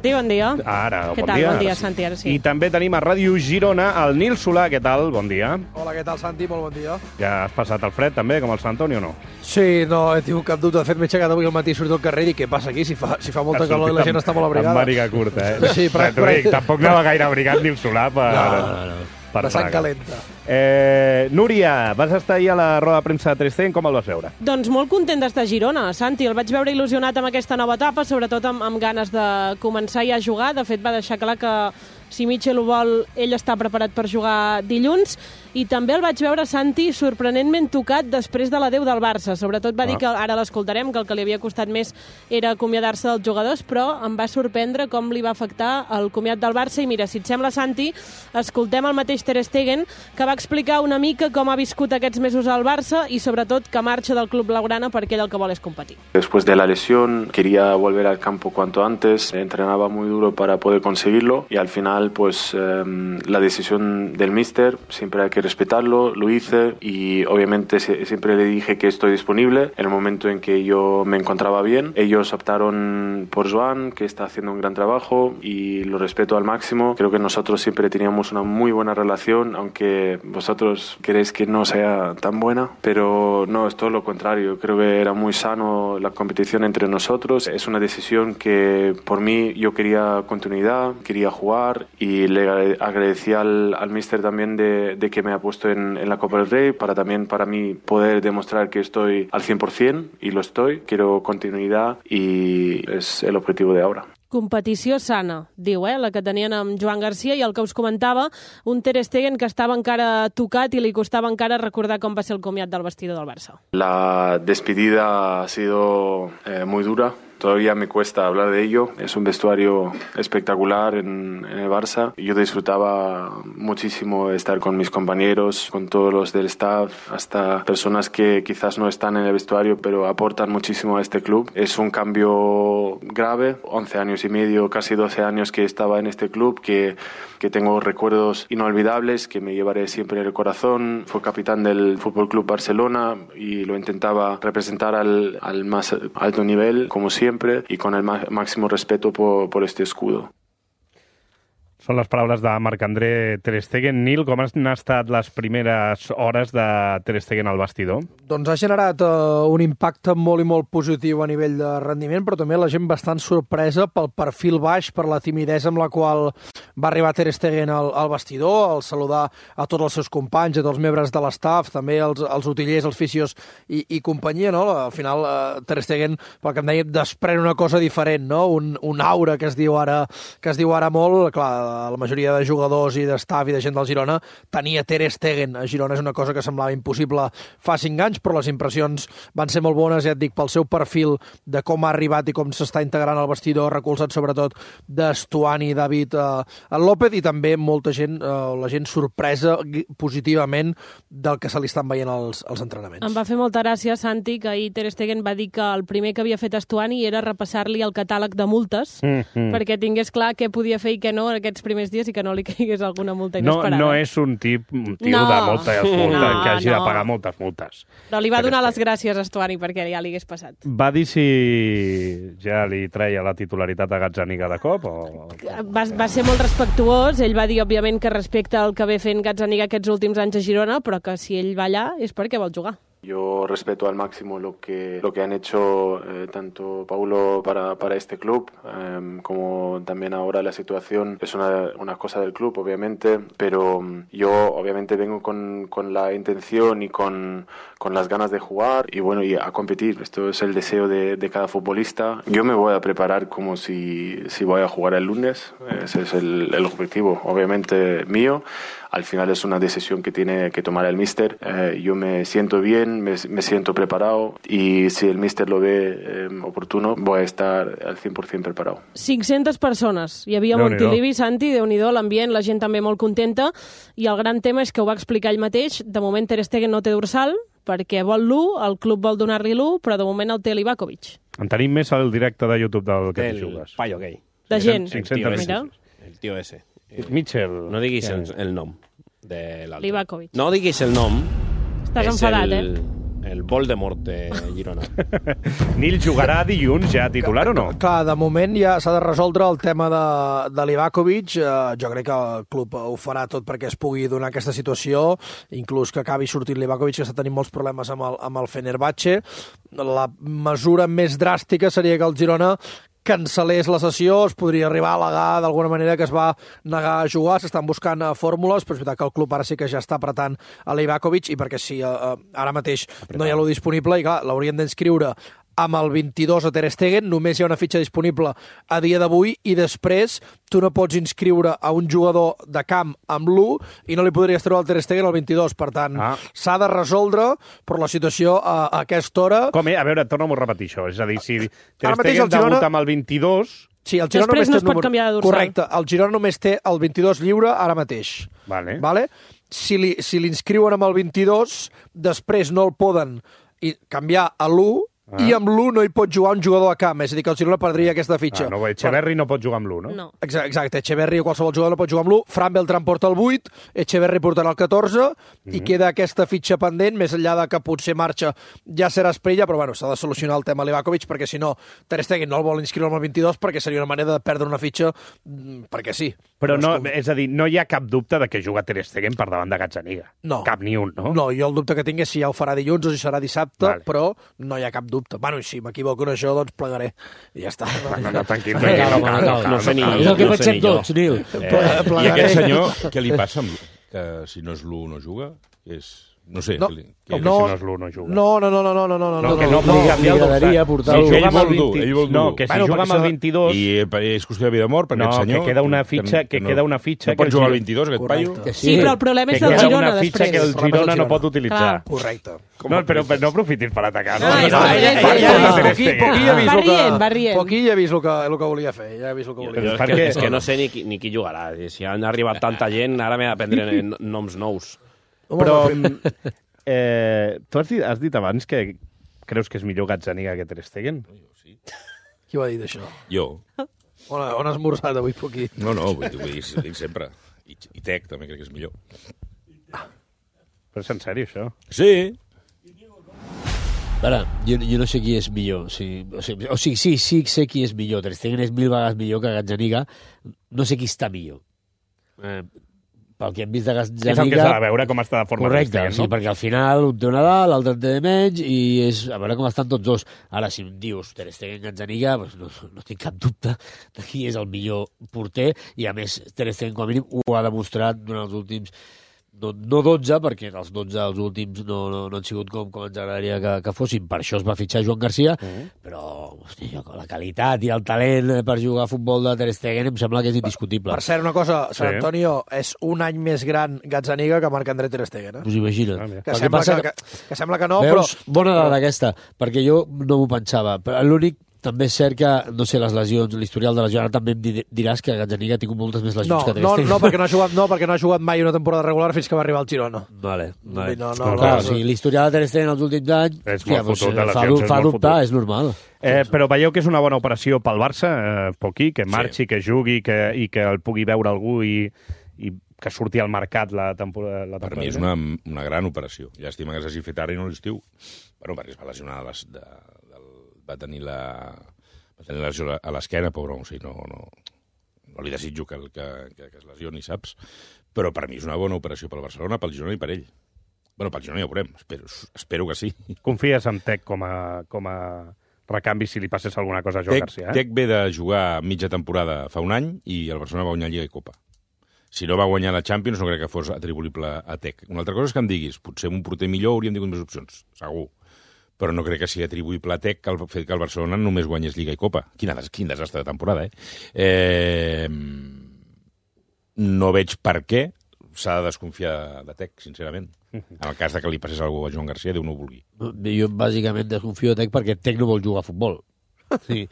[SPEAKER 7] Sí, bon dia.
[SPEAKER 2] Ara,
[SPEAKER 7] Què
[SPEAKER 2] bon
[SPEAKER 7] tal?
[SPEAKER 2] dia.
[SPEAKER 7] Bon dia, Santi, ara sí.
[SPEAKER 2] I també tenim a Ràdio Girona el Nil Solà, què tal? Bon dia.
[SPEAKER 17] Hola, què tal, Santi? Molt bon dia.
[SPEAKER 2] Ja has passat el fred també, com el Sant Antoni o no?
[SPEAKER 17] Sí, no, he tingut cap dubte. De fet, m'he aixecat avui al matí, surto al carrer i què passa aquí? Si fa, si fa molta
[SPEAKER 2] Has
[SPEAKER 17] calor i la
[SPEAKER 2] sortit
[SPEAKER 17] gent està molt abrigada.
[SPEAKER 2] Amb màniga curta, eh?
[SPEAKER 17] Sí, però...
[SPEAKER 2] T'ho dic, tampoc anava gaire abrigat Nil Solà per...
[SPEAKER 17] No, no, no.
[SPEAKER 2] per
[SPEAKER 17] La sang
[SPEAKER 2] Praga.
[SPEAKER 17] calenta.
[SPEAKER 2] Eh, Núria, vas estar ahir a la roda de premsa de Ter Stegen, com el vas veure?
[SPEAKER 7] Doncs molt content d'estar a Girona, Santi. El vaig veure il·lusionat amb aquesta nova etapa, sobretot amb, amb ganes de començar ja a jugar. De fet, va deixar clar que si Mitchell ho vol, ell està preparat per jugar dilluns. I també el vaig veure, Santi, sorprenentment tocat després de l'adeu del Barça. Sobretot va
[SPEAKER 2] Ah.
[SPEAKER 7] dir que, ara l'escoltarem, que el que li havia costat més era acomiadar-se dels jugadors, però em va sorprendre com li va afectar el comiat del Barça. I mira, si et sembla, Santi, escoltem el mateix Ter Stegen, que va explicar una mica com ha viscut aquests mesos al Barça i sobretot que marxa del club blaugrana perquè ell el que vol és competir.
[SPEAKER 18] Después de la lesión quería volver al campo cuanto antes, entrenaba muy duro para poder conseguirlo y al final pues eh, la decisión del míster siempre hay que respetarlo, lo hice y obviamente se, siempre le dije que estoy disponible en el momento en que yo me encontraba bien. Ellos optaron por Joan, que está haciendo un gran trabajo y lo respeto al máximo. Creo que nosotros siempre teníamos una muy buena relación, aunque vosotros queréis que no sea tan buena, pero no, es todo lo contrario. Creo que era muy sano la competición entre nosotros. Es una decisión que por mí yo quería continuidad, quería jugar y le agradecí al, al míster también de, de que me ha puesto en, en la Copa del Rey para también para mí poder demostrar que estoy al cien por cien y lo estoy. Quiero continuidad y es el objetivo de ahora.
[SPEAKER 7] Competició sana, diu, eh, la que tenien amb Joan Garcia, i el que us comentava, un Ter Stegen que estava encara tocat i li costava encara recordar com va ser el comiat del vestidor del Barça.
[SPEAKER 18] La despedida ha sido eh, muy dura. Todavía me cuesta hablar de ello. Es un vestuario espectacular en, en el Barça. Yo disfrutaba muchísimo estar con mis compañeros, con todos los del staff, hasta personas que quizás no están en el vestuario, pero aportan muchísimo a este club. Es un cambio grave. once años y medio, casi doce años que estaba en este club, que, que tengo recuerdos inolvidables, que me llevaré siempre en el corazón. Fue capitán del Fútbol Club Barcelona y lo intentaba representar al, al más alto nivel, como siempre. Siempre y con el máximo respeto por, por este escudo.
[SPEAKER 2] Són les paraules de Marc-André Ter Stegen. Nil, com han estat les primeres hores de Ter Stegen al vestidor?
[SPEAKER 17] Doncs ha generat uh, un impacte molt i molt positiu a nivell de rendiment, però també la gent bastant sorpresa pel perfil baix, per la timidesa amb la qual va arribar Ter Stegen al, al vestidor, al saludar a tots els seus companys, a tots els membres de l'estaf, també els, els utillers, els fisios i, i companyia, no? Al final, uh, Ter Stegen, pel que em deia, desprèn una cosa diferent, no? Un, un aura que es diu ara, que es diu ara molt, clar, la majoria de jugadors i d'estaf i de gent del Girona tenia Ter Stegen a Girona. És una cosa que semblava impossible fa cinc anys, però les impressions van ser molt bones, ja et dic, pel seu perfil de com ha arribat i com s'està integrant al vestidor, recolzat sobretot d'Estuani i David eh, López, i també molta gent, eh, la gent sorpresa positivament del que se li estan veient als, als entrenaments.
[SPEAKER 7] Em va fer molta gràcia, Santi, que ahir Ter Stegen va dir que el primer que havia fet Estuani era repassar-li el catàleg de multes, mm-hmm. perquè tingués clar què podia fer i què no en aquests primers dies i que no li caigués alguna multa inesperada.
[SPEAKER 2] No, no és un tip, un tio
[SPEAKER 7] no.
[SPEAKER 2] de moltes multes,
[SPEAKER 7] no,
[SPEAKER 2] que hagi
[SPEAKER 7] no.
[SPEAKER 2] de pagar moltes multes.
[SPEAKER 7] Però li va donar les gràcies a Estuani perquè ja li hagués passat.
[SPEAKER 2] Va dir si ja li treia la titularitat a Gazzaniga de cop? O...
[SPEAKER 7] Va, va ser molt respectuós. Ell va dir, òbviament, que respecta el que ve fent Gazzaniga aquests últims anys a Girona, però que si ell va allà és perquè vol jugar.
[SPEAKER 18] Yo respeto al máximo lo que, lo que han hecho eh, tanto Paulo para, para este club, eh, como también ahora la situación es una, una cosa del club, obviamente, pero yo obviamente vengo con, con la intención y con, con las ganas de jugar y bueno, y a competir. Esto es el deseo de, de cada futbolista. Yo me voy a preparar como si, si voy a jugar el lunes, ese es el, el objetivo, obviamente mío. Al final es una decisión que tiene que tomar el míster. Eh, yo me siento bien, me, me siento preparado y si el míster lo ve eh, oportuno, voy a estar al cien por cien preparado.
[SPEAKER 7] cinc-centes persones. Hi havia Montilivi, Santi, Déu-n'hi-do, l'ambient, la gent també molt contenta, i el gran tema és que ho va explicar ell mateix. De moment Ter Stegen no té dorsal, perquè vol l'u, el club vol donar-li l'u, però de moment el té Livakovic.
[SPEAKER 2] En tenim més al directe de YouTube del que t'hi jugues.
[SPEAKER 14] El paio gay.
[SPEAKER 7] De gent.
[SPEAKER 2] cinc-centes
[SPEAKER 7] Mira.
[SPEAKER 14] El tio ese.
[SPEAKER 2] Mitchell.
[SPEAKER 14] No diguis el, el nom de l'altre.
[SPEAKER 7] Livakovic.
[SPEAKER 14] No diguis el nom.
[SPEAKER 7] Estàs enfadat,
[SPEAKER 14] el,
[SPEAKER 7] eh?
[SPEAKER 14] El Voldemort de Girona.
[SPEAKER 2] Nil jugarà dilluns ja titular o no?
[SPEAKER 17] Clar, de moment ja s'ha de resoldre el tema de, de Livakovic. Uh, jo crec que el club ho farà tot perquè es pugui donar aquesta situació, inclús que acabi sortint Livakovic, que està tenint molts problemes amb el, amb el Fenerbahce. La mesura més dràstica seria que el Girona cancel·lés la sessió, es podria arribar a al·legar d'alguna manera que es va negar a jugar, s'estan buscant uh, fórmules, però és veritat que el club ara sí que ja està apretant a Livakovic, i perquè si uh, ara mateix Apretant. no hi ha lo disponible, i clar, l'haurien d'inscriure amb el vint-i-dos a Ter Stegen, només hi ha una fitxa disponible a dia d'avui, i després tu no pots inscriure a un jugador de camp amb l'u i no li podries treure el Ter Stegen al vint-i-dos. Per tant, ah. s'ha de resoldre, però la situació a, a aquesta hora...
[SPEAKER 2] Com, eh? A veure, torna'm a repetir això. És a dir, si Ter Stegen Girona... debuta amb el vint-i-dos...
[SPEAKER 7] Sí, el Girona després no es pot número... canviar de dorsal.
[SPEAKER 17] Correcte, el Girona només té el vint-i-dos lliure ara mateix.
[SPEAKER 2] Vale.
[SPEAKER 17] Vale? Si li, si l'inscriuen amb el vint-i-dos, després no el poden canviar a l'u, Ah. i amb l'u no hi pot jugar un jugador a camp, és a dir, que el Girona perdria aquesta fitxa.
[SPEAKER 2] Ah, no, Echeverri no pot jugar amb l'u, no?
[SPEAKER 7] No.
[SPEAKER 17] Exacte, Echeverri o qualsevol jugador no pot jugar amb l'u, Fran Beltrán porta el vuit, Echeverri portarà el catorze, mm-hmm. i queda aquesta fitxa pendent, més enllà de que potser marxa ja serà Esprella, però bueno, s'ha de solucionar el tema Livakovic, perquè si no, Ter Stegen no el vol inscriure amb el vint-i-dos, perquè seria una manera de perdre una fitxa, perquè sí.
[SPEAKER 2] Però no, és a dir, no hi ha cap dubte de que juga Ter Stegen per davant de Gazzaniga.
[SPEAKER 17] No.
[SPEAKER 2] Cap ni un, no?
[SPEAKER 17] No, jo el dubte que tinc és si ja ho farà dilluns o si serà dissabte, vale. Però no hi ha cap dubte. Bueno, i si m'equivoco en això, doncs plegaré. I ja està.
[SPEAKER 2] No, no, tranquil,
[SPEAKER 1] tranquil, no cal. No sé ni... És el que pensem tots, Nil.
[SPEAKER 8] I aquest senyor, què li passa? Que si no és l'u no juga? És... No sé.
[SPEAKER 17] No,
[SPEAKER 8] que,
[SPEAKER 2] que
[SPEAKER 17] no,
[SPEAKER 2] si no és l'u no juga.
[SPEAKER 17] No, no, no, no, no, no, no,
[SPEAKER 2] no, que no, no,
[SPEAKER 1] li agradaria portar-lo.
[SPEAKER 8] Si ell vol dur, ell vol dur.
[SPEAKER 2] No, que si bueno, juga amb el vint-i-dos...
[SPEAKER 8] I és qüestió de vida o mort, per
[SPEAKER 2] no,
[SPEAKER 8] aquest senyor...
[SPEAKER 2] que queda una fitxa, que, que no, queda una fitxa...
[SPEAKER 8] No pot jugar al vint-i-dos, aquest paio?
[SPEAKER 7] Sí, sí, però el problema és del Girona, després.
[SPEAKER 2] Que queda una fitxa que el Girona no pot utilitzar.
[SPEAKER 17] Correcte.
[SPEAKER 2] No, però no aprofitis per atacar. No,
[SPEAKER 17] no, Poquilla ha vist el que volia fer. Ja ha vist el que volia fer.
[SPEAKER 14] És que no sé ni qui jugarà. Si han arribat tanta gent, ara m'he d'aprendre noms nous.
[SPEAKER 2] Però... Eh, tu has dit, has dit abans que creus que és millor Gazzaniga que Ter Stegen?
[SPEAKER 17] Sí. Qui ho ha dit, això?
[SPEAKER 8] Jo.
[SPEAKER 17] On, on has esmorzat avui, Poquí?
[SPEAKER 8] No, no, vull dir, vull dir, dic sempre. I, i Tec també crec que és millor.
[SPEAKER 2] Ah. Però és en sèrio, això?
[SPEAKER 8] Sí.
[SPEAKER 1] Ara, jo, jo no sé qui és millor. O sigui, o sigui, o sigui, sí, sí sé qui és millor. Ter Stegen és mil vegades millor que Gazzaniga. No sé qui està millor. Eh, pel que hem vist de Gazzaniga...
[SPEAKER 2] És el que s'ha de veure com està de forma.
[SPEAKER 1] Correcte,
[SPEAKER 2] Stegen, no?
[SPEAKER 1] Sí, perquè al final un té una dalt, l'altre en té de menys, i és a veure com estan tots dos. Ara, si em dius Ter Stegen, Gazzaniga, doncs no, no tinc cap dubte de qui és el millor porter, i a més Ter Stegen, com a mínim, ho ha demostrat durant els últims... No, no dotze, perquè els dotze, els últims, no, no, no han sigut com, com ens agradaria que, que fossin. Per això es va fitxar Joan Garcia, mm. però hosti, la qualitat i el talent per jugar a futbol de Ter Stegen em sembla que és indiscutible.
[SPEAKER 17] Per cert, una cosa, Sant sí. Antonio, és un any més gran Gazzaniga que Marc-André Ter Stegen, eh?
[SPEAKER 1] Us imagina't.
[SPEAKER 17] Ah, que, sembla que, que, que sembla que no,
[SPEAKER 1] veus,
[SPEAKER 17] però...
[SPEAKER 1] Bona dada aquesta, perquè jo no m'ho pensava. Però l'únic també és cert que, no sé, les lesions, l'historial de lesió, ara també em diràs que Gazzaniga ha tingut moltes més lesions
[SPEAKER 17] no,
[SPEAKER 1] que Ter
[SPEAKER 17] no,
[SPEAKER 1] Stegen.
[SPEAKER 17] No, perquè no ha jugat, no, perquè no ha jugat mai una temporada regular fins que va arribar al Girona.
[SPEAKER 1] Vale, vale.
[SPEAKER 17] No, no,
[SPEAKER 1] no,
[SPEAKER 17] no,
[SPEAKER 1] clar,
[SPEAKER 17] no,
[SPEAKER 1] o sigui, l'historial de Ter Stegen els últims anys
[SPEAKER 2] és molt fotut, de
[SPEAKER 1] fa,
[SPEAKER 2] lesions,
[SPEAKER 1] fa dubtar, és normal.
[SPEAKER 2] Eh, però veieu que és una bona operació pel Barça, eh, Poquí, que marxi, sí. que jugui que, i que el pugui veure algú i, i que surti al mercat la temporada. La temporada.
[SPEAKER 8] Per mi és una, una gran operació. Llàstima que s'hagi fet ara i no l'estiu. Bueno, perquè es va lesionar, les, de, del, va tenir la... va tenir la lesió a l'esquena, pobre, o sigui, no, no, no li desitjo que, que, que, que es lesioni, saps? Però per mi és una bona operació pel Barcelona, pel Girona i per ell. Bueno, pel Girona ja ho veurem, espero, espero que sí.
[SPEAKER 2] Confies en Tec com a, com a recanvi si li passés alguna cosa a Joan
[SPEAKER 8] Tec,
[SPEAKER 2] Garcia? Eh?
[SPEAKER 8] Tec ve de jugar mitja temporada fa un any i el Barcelona va guanyar Lliga i Copa. Si no va guanyar la Champions no crec que fos atribuïble a Tec. Una altra cosa és que em diguis, potser amb un porter millor hauríem tingut més opcions, segur. Però no crec que sigui atribuïble a Tec el fet que el Barcelona només guanyés Lliga i Copa. Quin, quin desastre de temporada, eh? eh? No veig per què s'ha de desconfiar de Tec, sincerament. En el cas de que li passés alguna cosa a Joan Garcia, Déu no ho vulgui.
[SPEAKER 1] Jo bàsicament desconfio de Tec perquè Tec no vol jugar a futbol. Sí.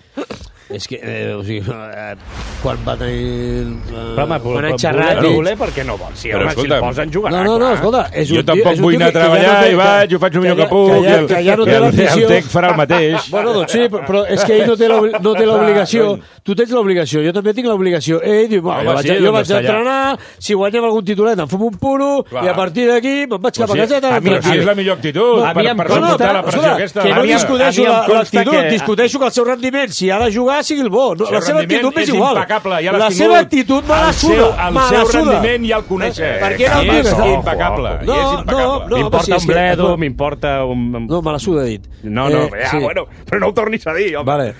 [SPEAKER 1] És que, eh, o sigui, eh, quan va tenir... Eh,
[SPEAKER 2] home,
[SPEAKER 1] quan ha
[SPEAKER 2] xerrat... No voler perquè no vol. Si,
[SPEAKER 8] però,
[SPEAKER 2] home,
[SPEAKER 8] escolta,
[SPEAKER 2] si el posen jugarà.
[SPEAKER 1] No, no, no, escolta... És
[SPEAKER 8] jo
[SPEAKER 1] un,
[SPEAKER 8] tampoc
[SPEAKER 1] és un
[SPEAKER 8] vull anar a treballar ja no i vaig, jo faig el millor que, que puc,
[SPEAKER 1] que ja,
[SPEAKER 8] i el,
[SPEAKER 1] que ja no té
[SPEAKER 8] el,
[SPEAKER 1] l'afició...
[SPEAKER 8] el Tec farà el mateix.
[SPEAKER 1] Bueno, doncs sí, però és que ell no té no té l'obligació. Tu tens l'obligació, jo també tinc l'obligació. Ell diu, bueno, jo vaig, sí, jo vaig entrenar, si guanyem algun titulet em fem un puro, i a partir d'aquí me'n vaig cap a casa.
[SPEAKER 8] Però si és la millor actitud, per suportar la pressió aquesta.
[SPEAKER 1] Que no discuteixo l'actitud, discuteixo que el seu rendiment, si ha de jugar, sigui el bo. La seva actitud m'és igual.
[SPEAKER 8] Impecable, ja
[SPEAKER 1] la seva actitud me la suda.
[SPEAKER 8] El seu rendiment ja el coneixes.
[SPEAKER 1] Per què no el
[SPEAKER 8] és impecable.
[SPEAKER 1] No, no, no.
[SPEAKER 2] M'importa un bledo, m'importa un...
[SPEAKER 1] No, me la suda, dit.
[SPEAKER 2] No, no, ja, bueno, però no ho tornis a dir, home.
[SPEAKER 1] Vale,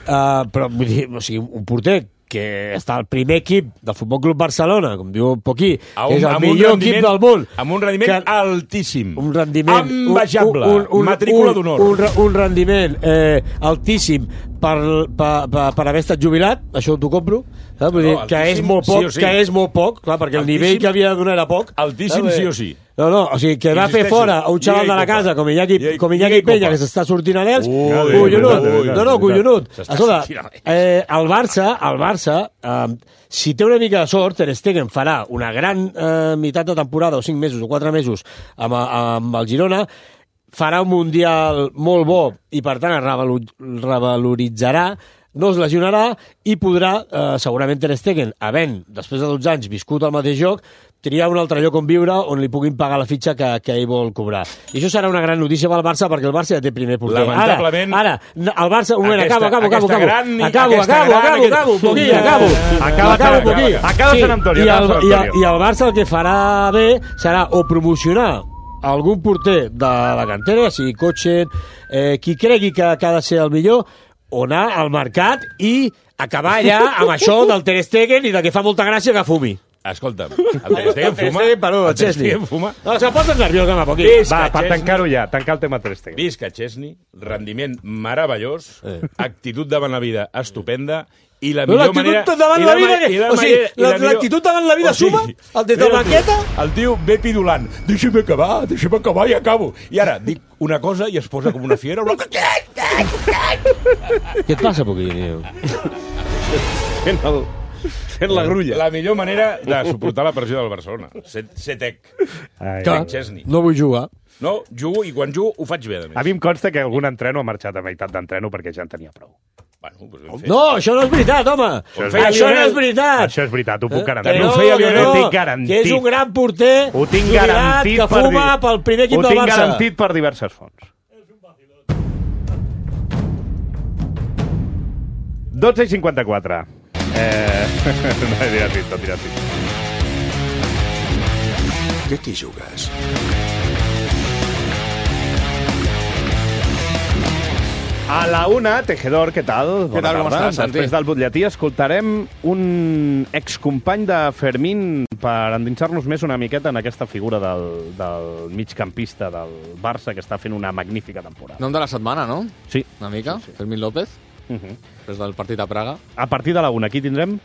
[SPEAKER 1] però vull dir, o sigui, un porter que està al primer equip del Futbol Club Barcelona, com diu Poquí, que és el millor equip del món.
[SPEAKER 8] Amb un rendiment que, altíssim.
[SPEAKER 1] Un rendiment...
[SPEAKER 8] Envejable.
[SPEAKER 1] Un, un, un, matrícula d'honor. Un, un, un rendiment eh, altíssim per, per, per, per haver estat jubilat, això t'ho compro, saps? Vull dir, no, que és molt poc, sí sí. que és molt poc, clar, perquè altíssim, el nivell que havia de donar era poc.
[SPEAKER 8] Altíssim saps? Sí o sí.
[SPEAKER 1] No, no, o sigui, que va fer fora a un xaval de la casa com Iñaki, com Iñaki Peña, que s'està sortint a d'ells, collonut. No, no, collonut. Escolta, eh, el Barça, el Barça, eh, si té una mica de sort, Ter Stegen farà una gran eh, meitat de temporada, o cinc mesos o quatre mesos, amb, amb el Girona, farà un mundial molt bo i, per tant, es revaloritzarà, no es lesionarà i podrà, eh, segurament Ter Stegen, havent, després de dotze anys, viscut el mateix joc, triar un altre lloc on viure on li puguin pagar la fitxa que, que ell vol cobrar. I això serà una gran notícia pel Barça perquè el Barça ja té primer porter.
[SPEAKER 8] Lamentablement...
[SPEAKER 1] Ara, ara el Barça... Un moment, acabo, acabo, acabo, acabo.
[SPEAKER 8] Gran,
[SPEAKER 1] acabo, acabo, acabo, acabo, Poquí, acabo.
[SPEAKER 2] Acaba, acabo, Poquí. Acaba Sant Antonio.
[SPEAKER 1] I el, i, el, I el Barça el que farà bé serà o promocionar algun porter de la cantera, sigui Kochen, eh, qui cregui que, que ha de ser el millor, o anar al mercat i acabar allà amb això del Ter Stegen i de que fa molta gràcia que fumi.
[SPEAKER 8] Escolta'm, el Ter Stegen fuma?
[SPEAKER 1] Perdó, el Chesney.
[SPEAKER 8] fuma?
[SPEAKER 1] No, se posa nerviós, home, poquí.
[SPEAKER 2] Va, per tancar-ho ja, tancar el tema Ter Stegen.
[SPEAKER 8] Visca Chesney, rendiment meravellós, eh. actitud davant la vida estupenda, i la millor manera...
[SPEAKER 1] L'actitud davant la vida... La, o sigui, l'actitud davant la vida suma? El des de la banqueta?
[SPEAKER 8] El tio ve pidulant. Deixa'm acabar, deixa'm acabar i acabo. I ara dic una cosa i es posa com una fiera. Una...
[SPEAKER 1] Què et passa, Poquillo?
[SPEAKER 8] Fent, el, fent la grulla. La millor manera de suportar la pressió del Barcelona. Ser tec. Chesney.
[SPEAKER 1] No vull jugar.
[SPEAKER 8] No, jugo i quan jugo ho faig bé, a més.
[SPEAKER 2] A mi em consta que algun entreno ha marxat a meitat d'entreno perquè ja en tenia prou.
[SPEAKER 8] Bueno, doncs
[SPEAKER 1] no, això no és veritat, home. Això, això no és veritat.
[SPEAKER 2] Això és veritat, ho puc garantir.
[SPEAKER 1] Eh? No,
[SPEAKER 2] no, feia Lionel,
[SPEAKER 1] no,
[SPEAKER 2] tinc garantit.
[SPEAKER 1] Que és un gran porter,
[SPEAKER 2] ho tinc garantit
[SPEAKER 1] que fuma per pel primer equip del Barça.
[SPEAKER 2] Ho tinc garantit per diverses fonts. dotze i cinquanta-quatre. Eh... no he divertit, no he divertit.
[SPEAKER 4] Què t'hi jugues?
[SPEAKER 2] A la una, Tejedor, què tal?
[SPEAKER 19] Què tal, com estàs, Santi?
[SPEAKER 2] Després del butlletí escoltarem un excompany de Fermín per endinsar-nos més una miqueta en aquesta figura del, del migcampista del Barça que està fent una magnífica temporada.
[SPEAKER 19] Nom de la setmana, no?
[SPEAKER 2] Sí.
[SPEAKER 19] Una mica, sí, sí. Fermín López, uh -huh. després del partit a Praga.
[SPEAKER 2] A partir de la una, qui tindrem?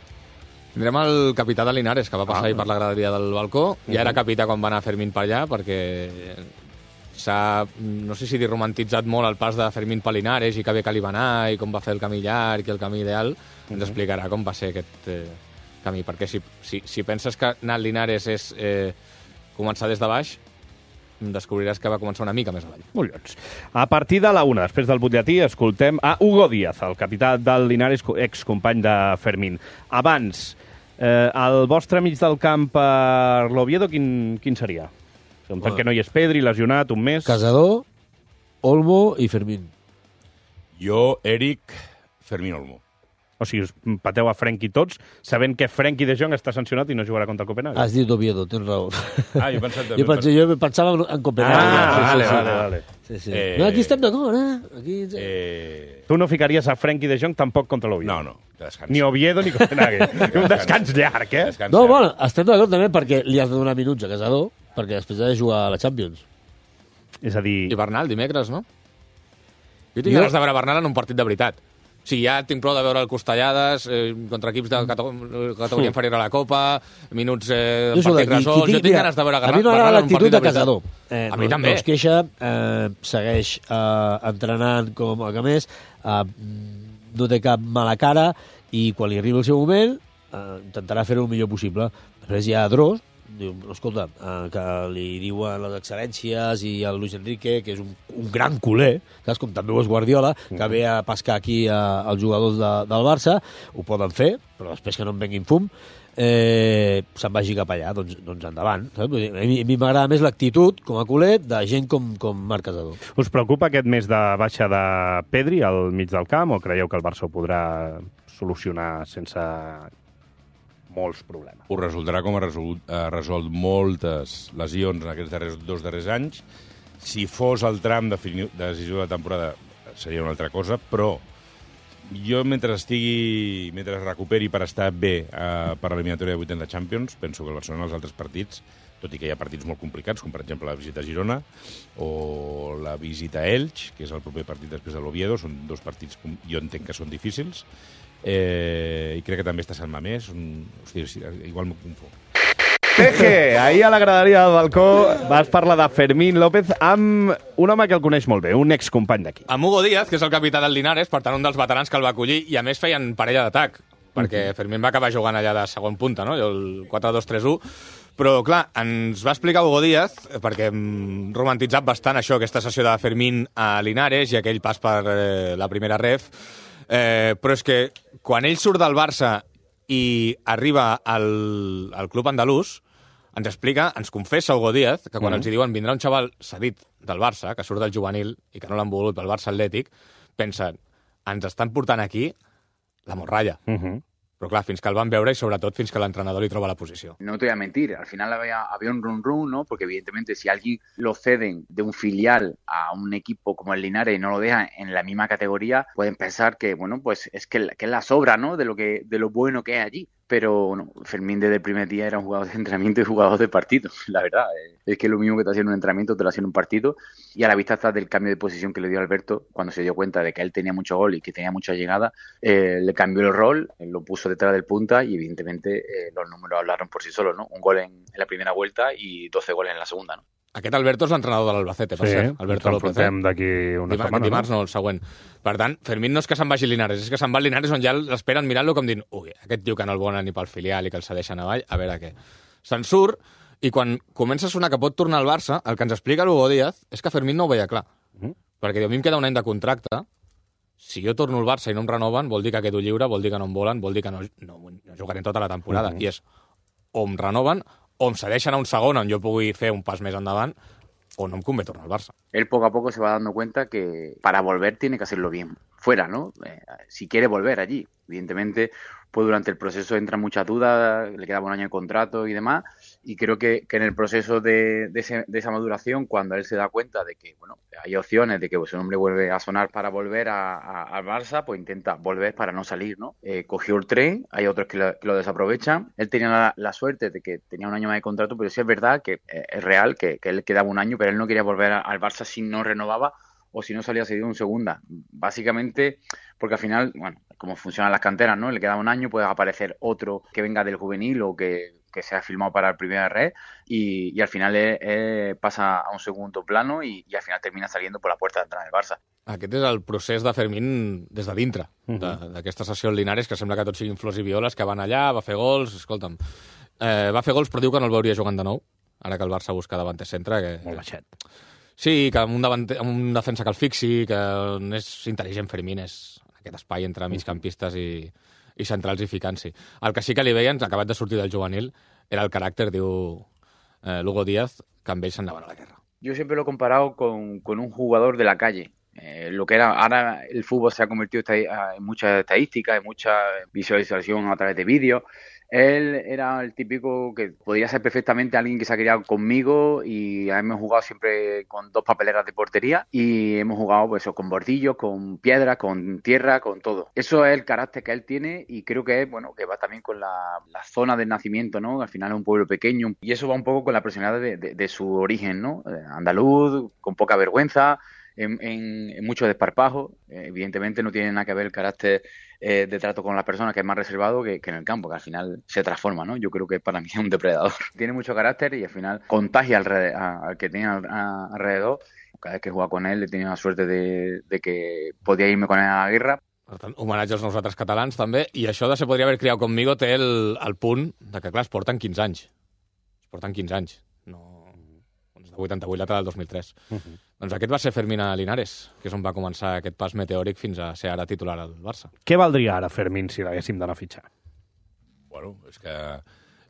[SPEAKER 19] Tindrem el capità de Linares, que va passar ah, ahir per la graderia del balcó. Uh -huh. Ja era capità quan va anar Fermín per allà, perquè s'ha, no sé si dir, romantitzat molt el pas de Fermín per Linares i que bé que li va anar i com va fer el camí llarg i el camí ideal. Uh -huh. Ens explicarà com va ser aquest eh, camí, perquè si, si, si penses que anar al Linares és eh, començar des de baix, descobriràs que va començar una mica més avall.
[SPEAKER 2] Molt bé. A partir de la una, després del butlletí, escoltem a Hugo Díaz, el capità del Linares, excompany de Fermín. Abans, eh, el vostre mig del camp per l'Oviedo, quin, quin seria? Bueno. Perquè no hi és Pedri, lesionat, un mes...
[SPEAKER 1] Casador, Olmo i Fermín.
[SPEAKER 8] Jo, Eric, Fermín, Olmo.
[SPEAKER 2] O sigui, us pateu a Frenkie tots, sabent que Frenkie de Jong està sancionat i no jugarà contra el Copenhague.
[SPEAKER 1] Has dit Oviedo, tens raó.
[SPEAKER 8] Ah, jo, pensat,
[SPEAKER 1] jo, pensava, jo pensava en Copenhague.
[SPEAKER 2] Ah,
[SPEAKER 1] sí,
[SPEAKER 2] vale,
[SPEAKER 1] sí,
[SPEAKER 2] vale,
[SPEAKER 1] sí.
[SPEAKER 2] vale.
[SPEAKER 1] Sí, sí. Eh... No, aquí estem d'acord, eh? Aquí...
[SPEAKER 2] eh... Tu no ficaries a Frenkie de Jong tampoc contra l'Oviedo?
[SPEAKER 8] No, no. Descans.
[SPEAKER 2] Ni Oviedo ni Copenhague. Un descans llarg, eh?
[SPEAKER 1] Descans no, bueno, estem d'acord també perquè li has de donar minuts a Casador, perquè després ha de jugar a la Champions.
[SPEAKER 2] És a dir...
[SPEAKER 19] I Bernal, dimecres, no? Jo tinc jo... ganes de veure Bernal en un partit de veritat. Sí, ja tinc prou de veure el Costallades eh, contra equips de categoria inferior a la Copa, minuts eh,
[SPEAKER 1] jo
[SPEAKER 19] partit resolts... Jo tinc mira, ganes de veure
[SPEAKER 1] Bernal en un partit de veritat. A mi m'agrada l'actitud de Casador.
[SPEAKER 19] Eh, a mi no, també.
[SPEAKER 1] No es queixa, eh, segueix eh, entrenant com a que més, eh, no té cap mala cara i quan li arriba el seu moment eh, intentarà fer-ho el millor possible. Després hi ha Dros, diu, escolta, eh, que li diuen les excel·lències i el Luis Enrique, que és un, un gran culer, saps? Com també ho és Guardiola, que ve a pescar aquí a, als jugadors de, del Barça, ho poden fer, però després que no en venguin fum, eh, se'n vagi cap allà, doncs, doncs endavant. Saps? A mi, a mi m'agrada més l'actitud, com a culer, de gent com, com Marc Casador.
[SPEAKER 2] Us preocupa aquest mes de baixa de Pedri al mig del camp, o creieu que el Barça ho podrà solucionar sense molts problemes?
[SPEAKER 8] Ho resoldrà com ha resolt, ha resolt moltes lesions en aquests darrers, dos darrers anys. Si fos el tram de, de decisió de la temporada seria una altra cosa, però jo mentre estigui, mentre es recuperi per estar bé eh, per l'eliminatòria de vuitens de Champions, penso que el Barcelona els altres partits, tot i que hi ha partits molt complicats, com per exemple la visita a Girona o la visita a Elx, que és el proper partit després de l'Oviedo, són dos partits que jo entenc que són difícils, Eh, i crec que també està Sant Mamés. Un... Hòstia, igual m'ho confonc.
[SPEAKER 2] Teje, ahir a la graderia del balcó vas parlar de Fermín López amb un home que el coneix molt bé, un excompany d'aquí.
[SPEAKER 19] Amb Hugo Díaz, que és el capità del Linares, per tant un dels veterans que el va acollir, i a més feien parella d'atac, perquè Fermín va acabar jugant allà de segon punta, no? El quatre dos tres u. Però, clar, ens va explicar Hugo Díaz, perquè hem romantitzat bastant això, aquesta sessió de Fermín a Linares i aquell pas per eh, la primera ref, eh, però és que quan ell surt del Barça i arriba al, al club andalús, ens explica, ens confessa Hugo Díaz, que quan mm. els hi diuen vindrà un xaval cedit del Barça, que surt del juvenil i que no l'han volgut pel Barça Atlètic, pensen, ens estan portant aquí la morralla.
[SPEAKER 2] Mm -hmm.
[SPEAKER 19] Però clar, fins que el van veure y sobre todo fins que l'entrenador li troba la posició.
[SPEAKER 20] No te voy a mentir, al final había, había un run run, ¿no? Porque evidentemente si alguien lo ceden de un filial a un equipo como el Linares y no lo dejan en la misma categoría, pueden pensar que, bueno, pues es que, que es la sobra, ¿no? De lo que, de lo bueno que es allí. Pero bueno, Fermín desde el primer día era un jugador de entrenamiento y jugador de partido, la verdad. Es que lo mismo que te hacía en un entrenamiento, te lo hacía en un partido. Y a la vista está del cambio de posición que le dio Alberto, cuando se dio cuenta de que él tenía mucho gol y que tenía mucha llegada, eh, le cambió el rol, lo puso detrás del punta y evidentemente eh, los números hablaron por sí solos, ¿no? Un gol en, en la primera vuelta y doce goles en la segunda, ¿no?
[SPEAKER 19] Aquest Alberto és l'entrenador de l'Albacete, per
[SPEAKER 2] sí,
[SPEAKER 19] cert. Alberto
[SPEAKER 2] López. Sí, ens d'aquí una
[SPEAKER 19] Dimar
[SPEAKER 2] setmana.
[SPEAKER 19] Dimarts no? no, el següent. Per tant, Fermín no és que se'n vagi Linares, és que se'n va al Linares on ja l'esperen mirant-lo com dient ui, aquest tio que no el volen ni pel filial i que el cedeixen avall, a veure què. Se'n surt i quan comença a sonar que pot tornar al Barça, el que ens explica l'Hugo Díaz és que Fermín no ho veia clar. Mm. Perquè diu, a mi em queda un any de contracte, si jo torno al Barça i no em renoven, vol dir que quedo lliure, vol dir que no em volen, vol dir que no, no, no jugaré tota la temporada. Mm-hmm. I és o em renoven o em cedeixen a un segon on jo pugui fer un pas més endavant o no me convé tornar al Barça.
[SPEAKER 20] Él poco a poco se va dando cuenta que para volver tiene que hacerlo bien, fuera, ¿no? Eh, si quiere volver allí. Evidentemente, pues durante el proceso entran muchas dudas, le quedaba un año de contrato y demás, y creo que, que en el proceso de, de, ese, de esa maduración, cuando él se da cuenta de que, bueno, hay opciones de que pues, su nombre vuelve a sonar para volver a, a, al Barça, pues intenta volver para no salir, ¿no? Eh, cogió el tren, hay otros que lo, que lo desaprovechan. Él tenía la, la suerte de que tenía un año más de contrato, pero sí es verdad que eh, es real que, que él quedaba un año, pero él no quería volver a, al Barça si no renovaba o si no salía cedido en segunda. Básicamente, porque al final, bueno, como funcionan las canteras, ¿no? Le queda un año, puede aparecer otro que venga del juvenil o que, que sea firmado para el primer red y, y al final eh, eh, pasa a un segundo plano y, y al final termina saliendo por la puerta de entrada del Barça.
[SPEAKER 19] Aquest és el procés de Fermín des de dintre, uh-huh. d'aquesta sessió al Linares, que sembla que tot siguin flors i violes, que van allà, va fer gols, escolta'm, eh, va fer gols però diu que no el veuria jugant de nou, ara que el Barça busca davanter centre. Que...
[SPEAKER 2] Molt baixet.
[SPEAKER 19] Sí, que amb un, davanter, amb un defensa que el fixi, que és intel·ligent Fermín, és aquest espai entre migcampistes i, i centrals i ficant-s'hi. El que sí que li veien, acabat de sortir del juvenil, era el caràcter, diu eh, Hugo Díaz, que amb ell s'anaven a la guerra.
[SPEAKER 20] Yo siempre lo he comparado con, con un jugador de la calle. Eh, lo que era, ahora el fútbol se ha convertido en muchas estadísticas, en mucha visualización a través de vídeos. Él era el típico que podía ser perfectamente alguien que se ha criado conmigo y hemos jugado siempre con dos papeleras de portería y hemos jugado pues, con bordillos, con piedras, con tierra, con todo. Eso es el carácter que él tiene y creo que es bueno que va también con la, la zona de nacimiento, ¿no? Al final es un pueblo pequeño y eso va un poco con la personalidad de, de, de su origen, ¿no? Andaluz, con poca vergüenza. En, en, en mucho desparpajo, eh, evidentemente no tiene nada que ver el carácter eh, de trato con las personas, que es más reservado que, que en el campo, que al final se transforma, ¿no? Yo creo que para mí es un depredador. Tiene mucho carácter y al final contagia al, a, al que tiene al, a, alrededor. Cada vez que juega con él he tenido la suerte de, de que podía irme con él a la guerra.
[SPEAKER 19] Per tant, homenatge als nosaltres catalans, també, i això de Se podria haver criat conmigo té el, el punt de que, clar, es porten quinze anys. Es porten quinze anys. No... de vuitanta-vuit, l'altre del dos mil tres. Uh-huh. Doncs aquest va ser Fermín a Linares, que és on va començar aquest pas meteòric fins a ser ara titular al Barça.
[SPEAKER 2] Què valdria ara Fermín si l'haguéssim d'anar a fitxar?
[SPEAKER 8] Bueno, és que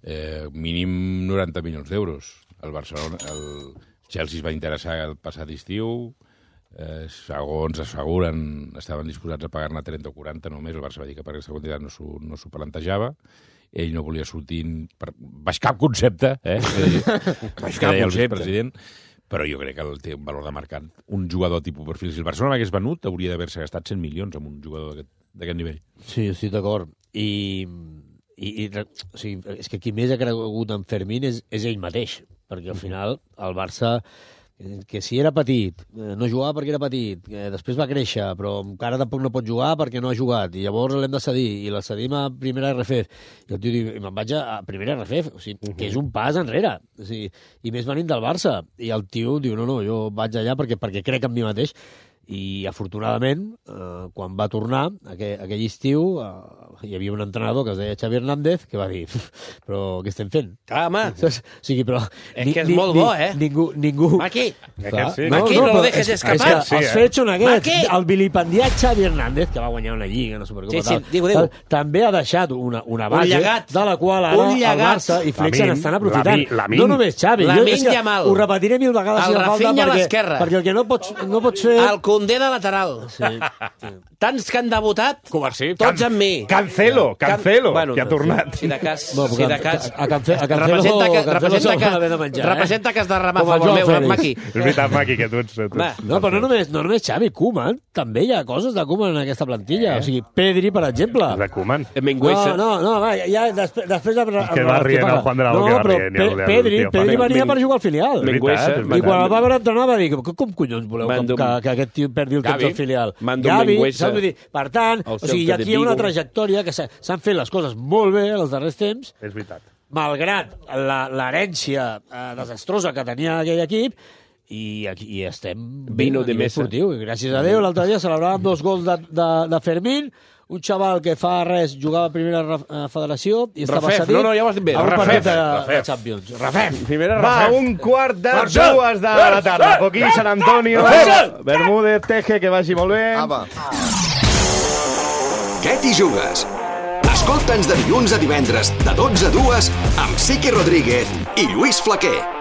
[SPEAKER 8] eh, mínim noranta milions d'euros. El Barcelona, el Chelsea es va interessar el passat estiu, eh, segons asseguren, estaven disposats a pagar-ne trenta o quaranta només, el Barça va dir que per aquesta quantitat no s'ho no s'ho plantejava, ell no volia sortir per baix cap concepte, eh? baix cap concepte, president, però jo crec que el té un valor de mercat. Un jugador tipus perfil, si el Barcelona l'hagués venut, hauria d'haver-se gastat cent milions amb un jugador d'aquest nivell.
[SPEAKER 1] Sí, estic d'acord. I, i, i o sigui, és que qui més ha cregut en Fermín és, és ell mateix, perquè al final el Barça, que si era petit, no jugava perquè era petit, que després va créixer, però encara tampoc no pot jugar perquè no ha jugat, i llavors l'hem de cedir, i la cedim a primera R F F. I el tio diu, me'n vaig a primera R F F, o sigui, uh-huh. que és un pas enrere, o sigui, i més venint del Barça. I el tio diu, no, no, jo vaig allà perquè, perquè crec en mi mateix. I, afortunadament, eh, quan va tornar, aquell, aquell estiu, eh, hi havia un entrenador que es deia Xavi Hernández, que va dir, però què estem fent?
[SPEAKER 14] Clar, home.
[SPEAKER 1] O sigui, però...
[SPEAKER 14] És ni, que és ni, molt bo, eh?
[SPEAKER 1] Ningú... ningú...
[SPEAKER 14] Maqui!
[SPEAKER 1] Clar,
[SPEAKER 14] sí. No, Maqui, no, no, no lo dejes
[SPEAKER 1] és,
[SPEAKER 14] escapar.
[SPEAKER 1] És que
[SPEAKER 14] sí,
[SPEAKER 1] els
[SPEAKER 14] eh?
[SPEAKER 1] fets són aquests.
[SPEAKER 14] Maqui!
[SPEAKER 1] El vilipendiat Xavi Hernández, que va guanyar una lliga, no Supercopa,
[SPEAKER 14] sí, sí,
[SPEAKER 1] tal,
[SPEAKER 14] digo, digo.
[SPEAKER 1] tal, també ha deixat una, una base
[SPEAKER 14] llegat,
[SPEAKER 1] de la qual ara el Barça i Flex se n'estan aprofitant.
[SPEAKER 14] La
[SPEAKER 1] no només Xavi, jo és que
[SPEAKER 14] Yamal.
[SPEAKER 1] Ho repetiré mil vegades
[SPEAKER 14] el
[SPEAKER 1] si fa falta, perquè,
[SPEAKER 14] perquè
[SPEAKER 1] perquè el que no pots, no pots fer
[SPEAKER 14] Condé de lateral. Sí. Tants que han debutat,
[SPEAKER 19] Covarsí.
[SPEAKER 14] tots amb mi.
[SPEAKER 2] Cancelo, Cancelo,
[SPEAKER 14] Can... bueno,
[SPEAKER 2] que ha tornat.
[SPEAKER 14] Si de cas...
[SPEAKER 1] No,
[SPEAKER 14] si de cas...
[SPEAKER 1] A, Cance, a Cancelo,
[SPEAKER 14] representa que,
[SPEAKER 1] Cancelo
[SPEAKER 14] representa que,
[SPEAKER 1] haver de menjar,
[SPEAKER 14] representa
[SPEAKER 1] eh?
[SPEAKER 14] que has de remar a
[SPEAKER 1] Com el
[SPEAKER 14] favor
[SPEAKER 1] Joao
[SPEAKER 14] meu,
[SPEAKER 1] Fèlix.
[SPEAKER 14] Maqui.
[SPEAKER 2] És veritat, Maqui, que tu ets... Tu ets
[SPEAKER 1] No, però no només, no només Xavi, Koeman, també hi ha coses de Koeman en aquesta plantilla. Eh? O sigui, Pedri, per exemple.
[SPEAKER 2] De Koeman.
[SPEAKER 14] Mengüesa.
[SPEAKER 1] No, no, no, va, ja, després... després de,
[SPEAKER 2] que va rient el Juan de la Boca,
[SPEAKER 1] no,
[SPEAKER 2] va
[SPEAKER 1] però
[SPEAKER 2] rient.
[SPEAKER 1] Pe Pedri, Pedri venia per jugar al filial.
[SPEAKER 2] Mengüesa.
[SPEAKER 1] I quan el va veure entrenar va dir, com collons voleu que, que, que aquest tio perdi el temps al filial? Gavi, saps? Vull dir, per tant, o sigui, aquí hi ha una trajectòria que s'han fet les coses molt bé els darrers temps.
[SPEAKER 2] És veritat.
[SPEAKER 1] Malgrat l'herència eh, desastrosa que tenia aquell equip, i aquí i estem
[SPEAKER 14] Vino de mesa.
[SPEAKER 1] Esportiu. I gràcies a Déu, l'altre dia celebràvem dos gols de, de, de Fermín, un xaval que fa res jugava a primera uh, federació i estava
[SPEAKER 14] Rafef,
[SPEAKER 1] cedit
[SPEAKER 14] no, no, ja ho has dit bé.
[SPEAKER 1] a un
[SPEAKER 14] Rafef,
[SPEAKER 1] partit de,
[SPEAKER 14] Rafef.
[SPEAKER 1] de Champions. Rafef.
[SPEAKER 14] Primera
[SPEAKER 2] Va,
[SPEAKER 14] Rafef.
[SPEAKER 2] un quart de
[SPEAKER 14] Marxa!
[SPEAKER 2] dues de la tarda. Poquí, Sant Antonio, Bermúdez, Teje, que vagi molt bé.
[SPEAKER 4] Apa. Què t'hi jugues? Escolta'ns de dilluns a divendres, de dotze a dues, amb Sique Rodríguez i Lluís Flaquer.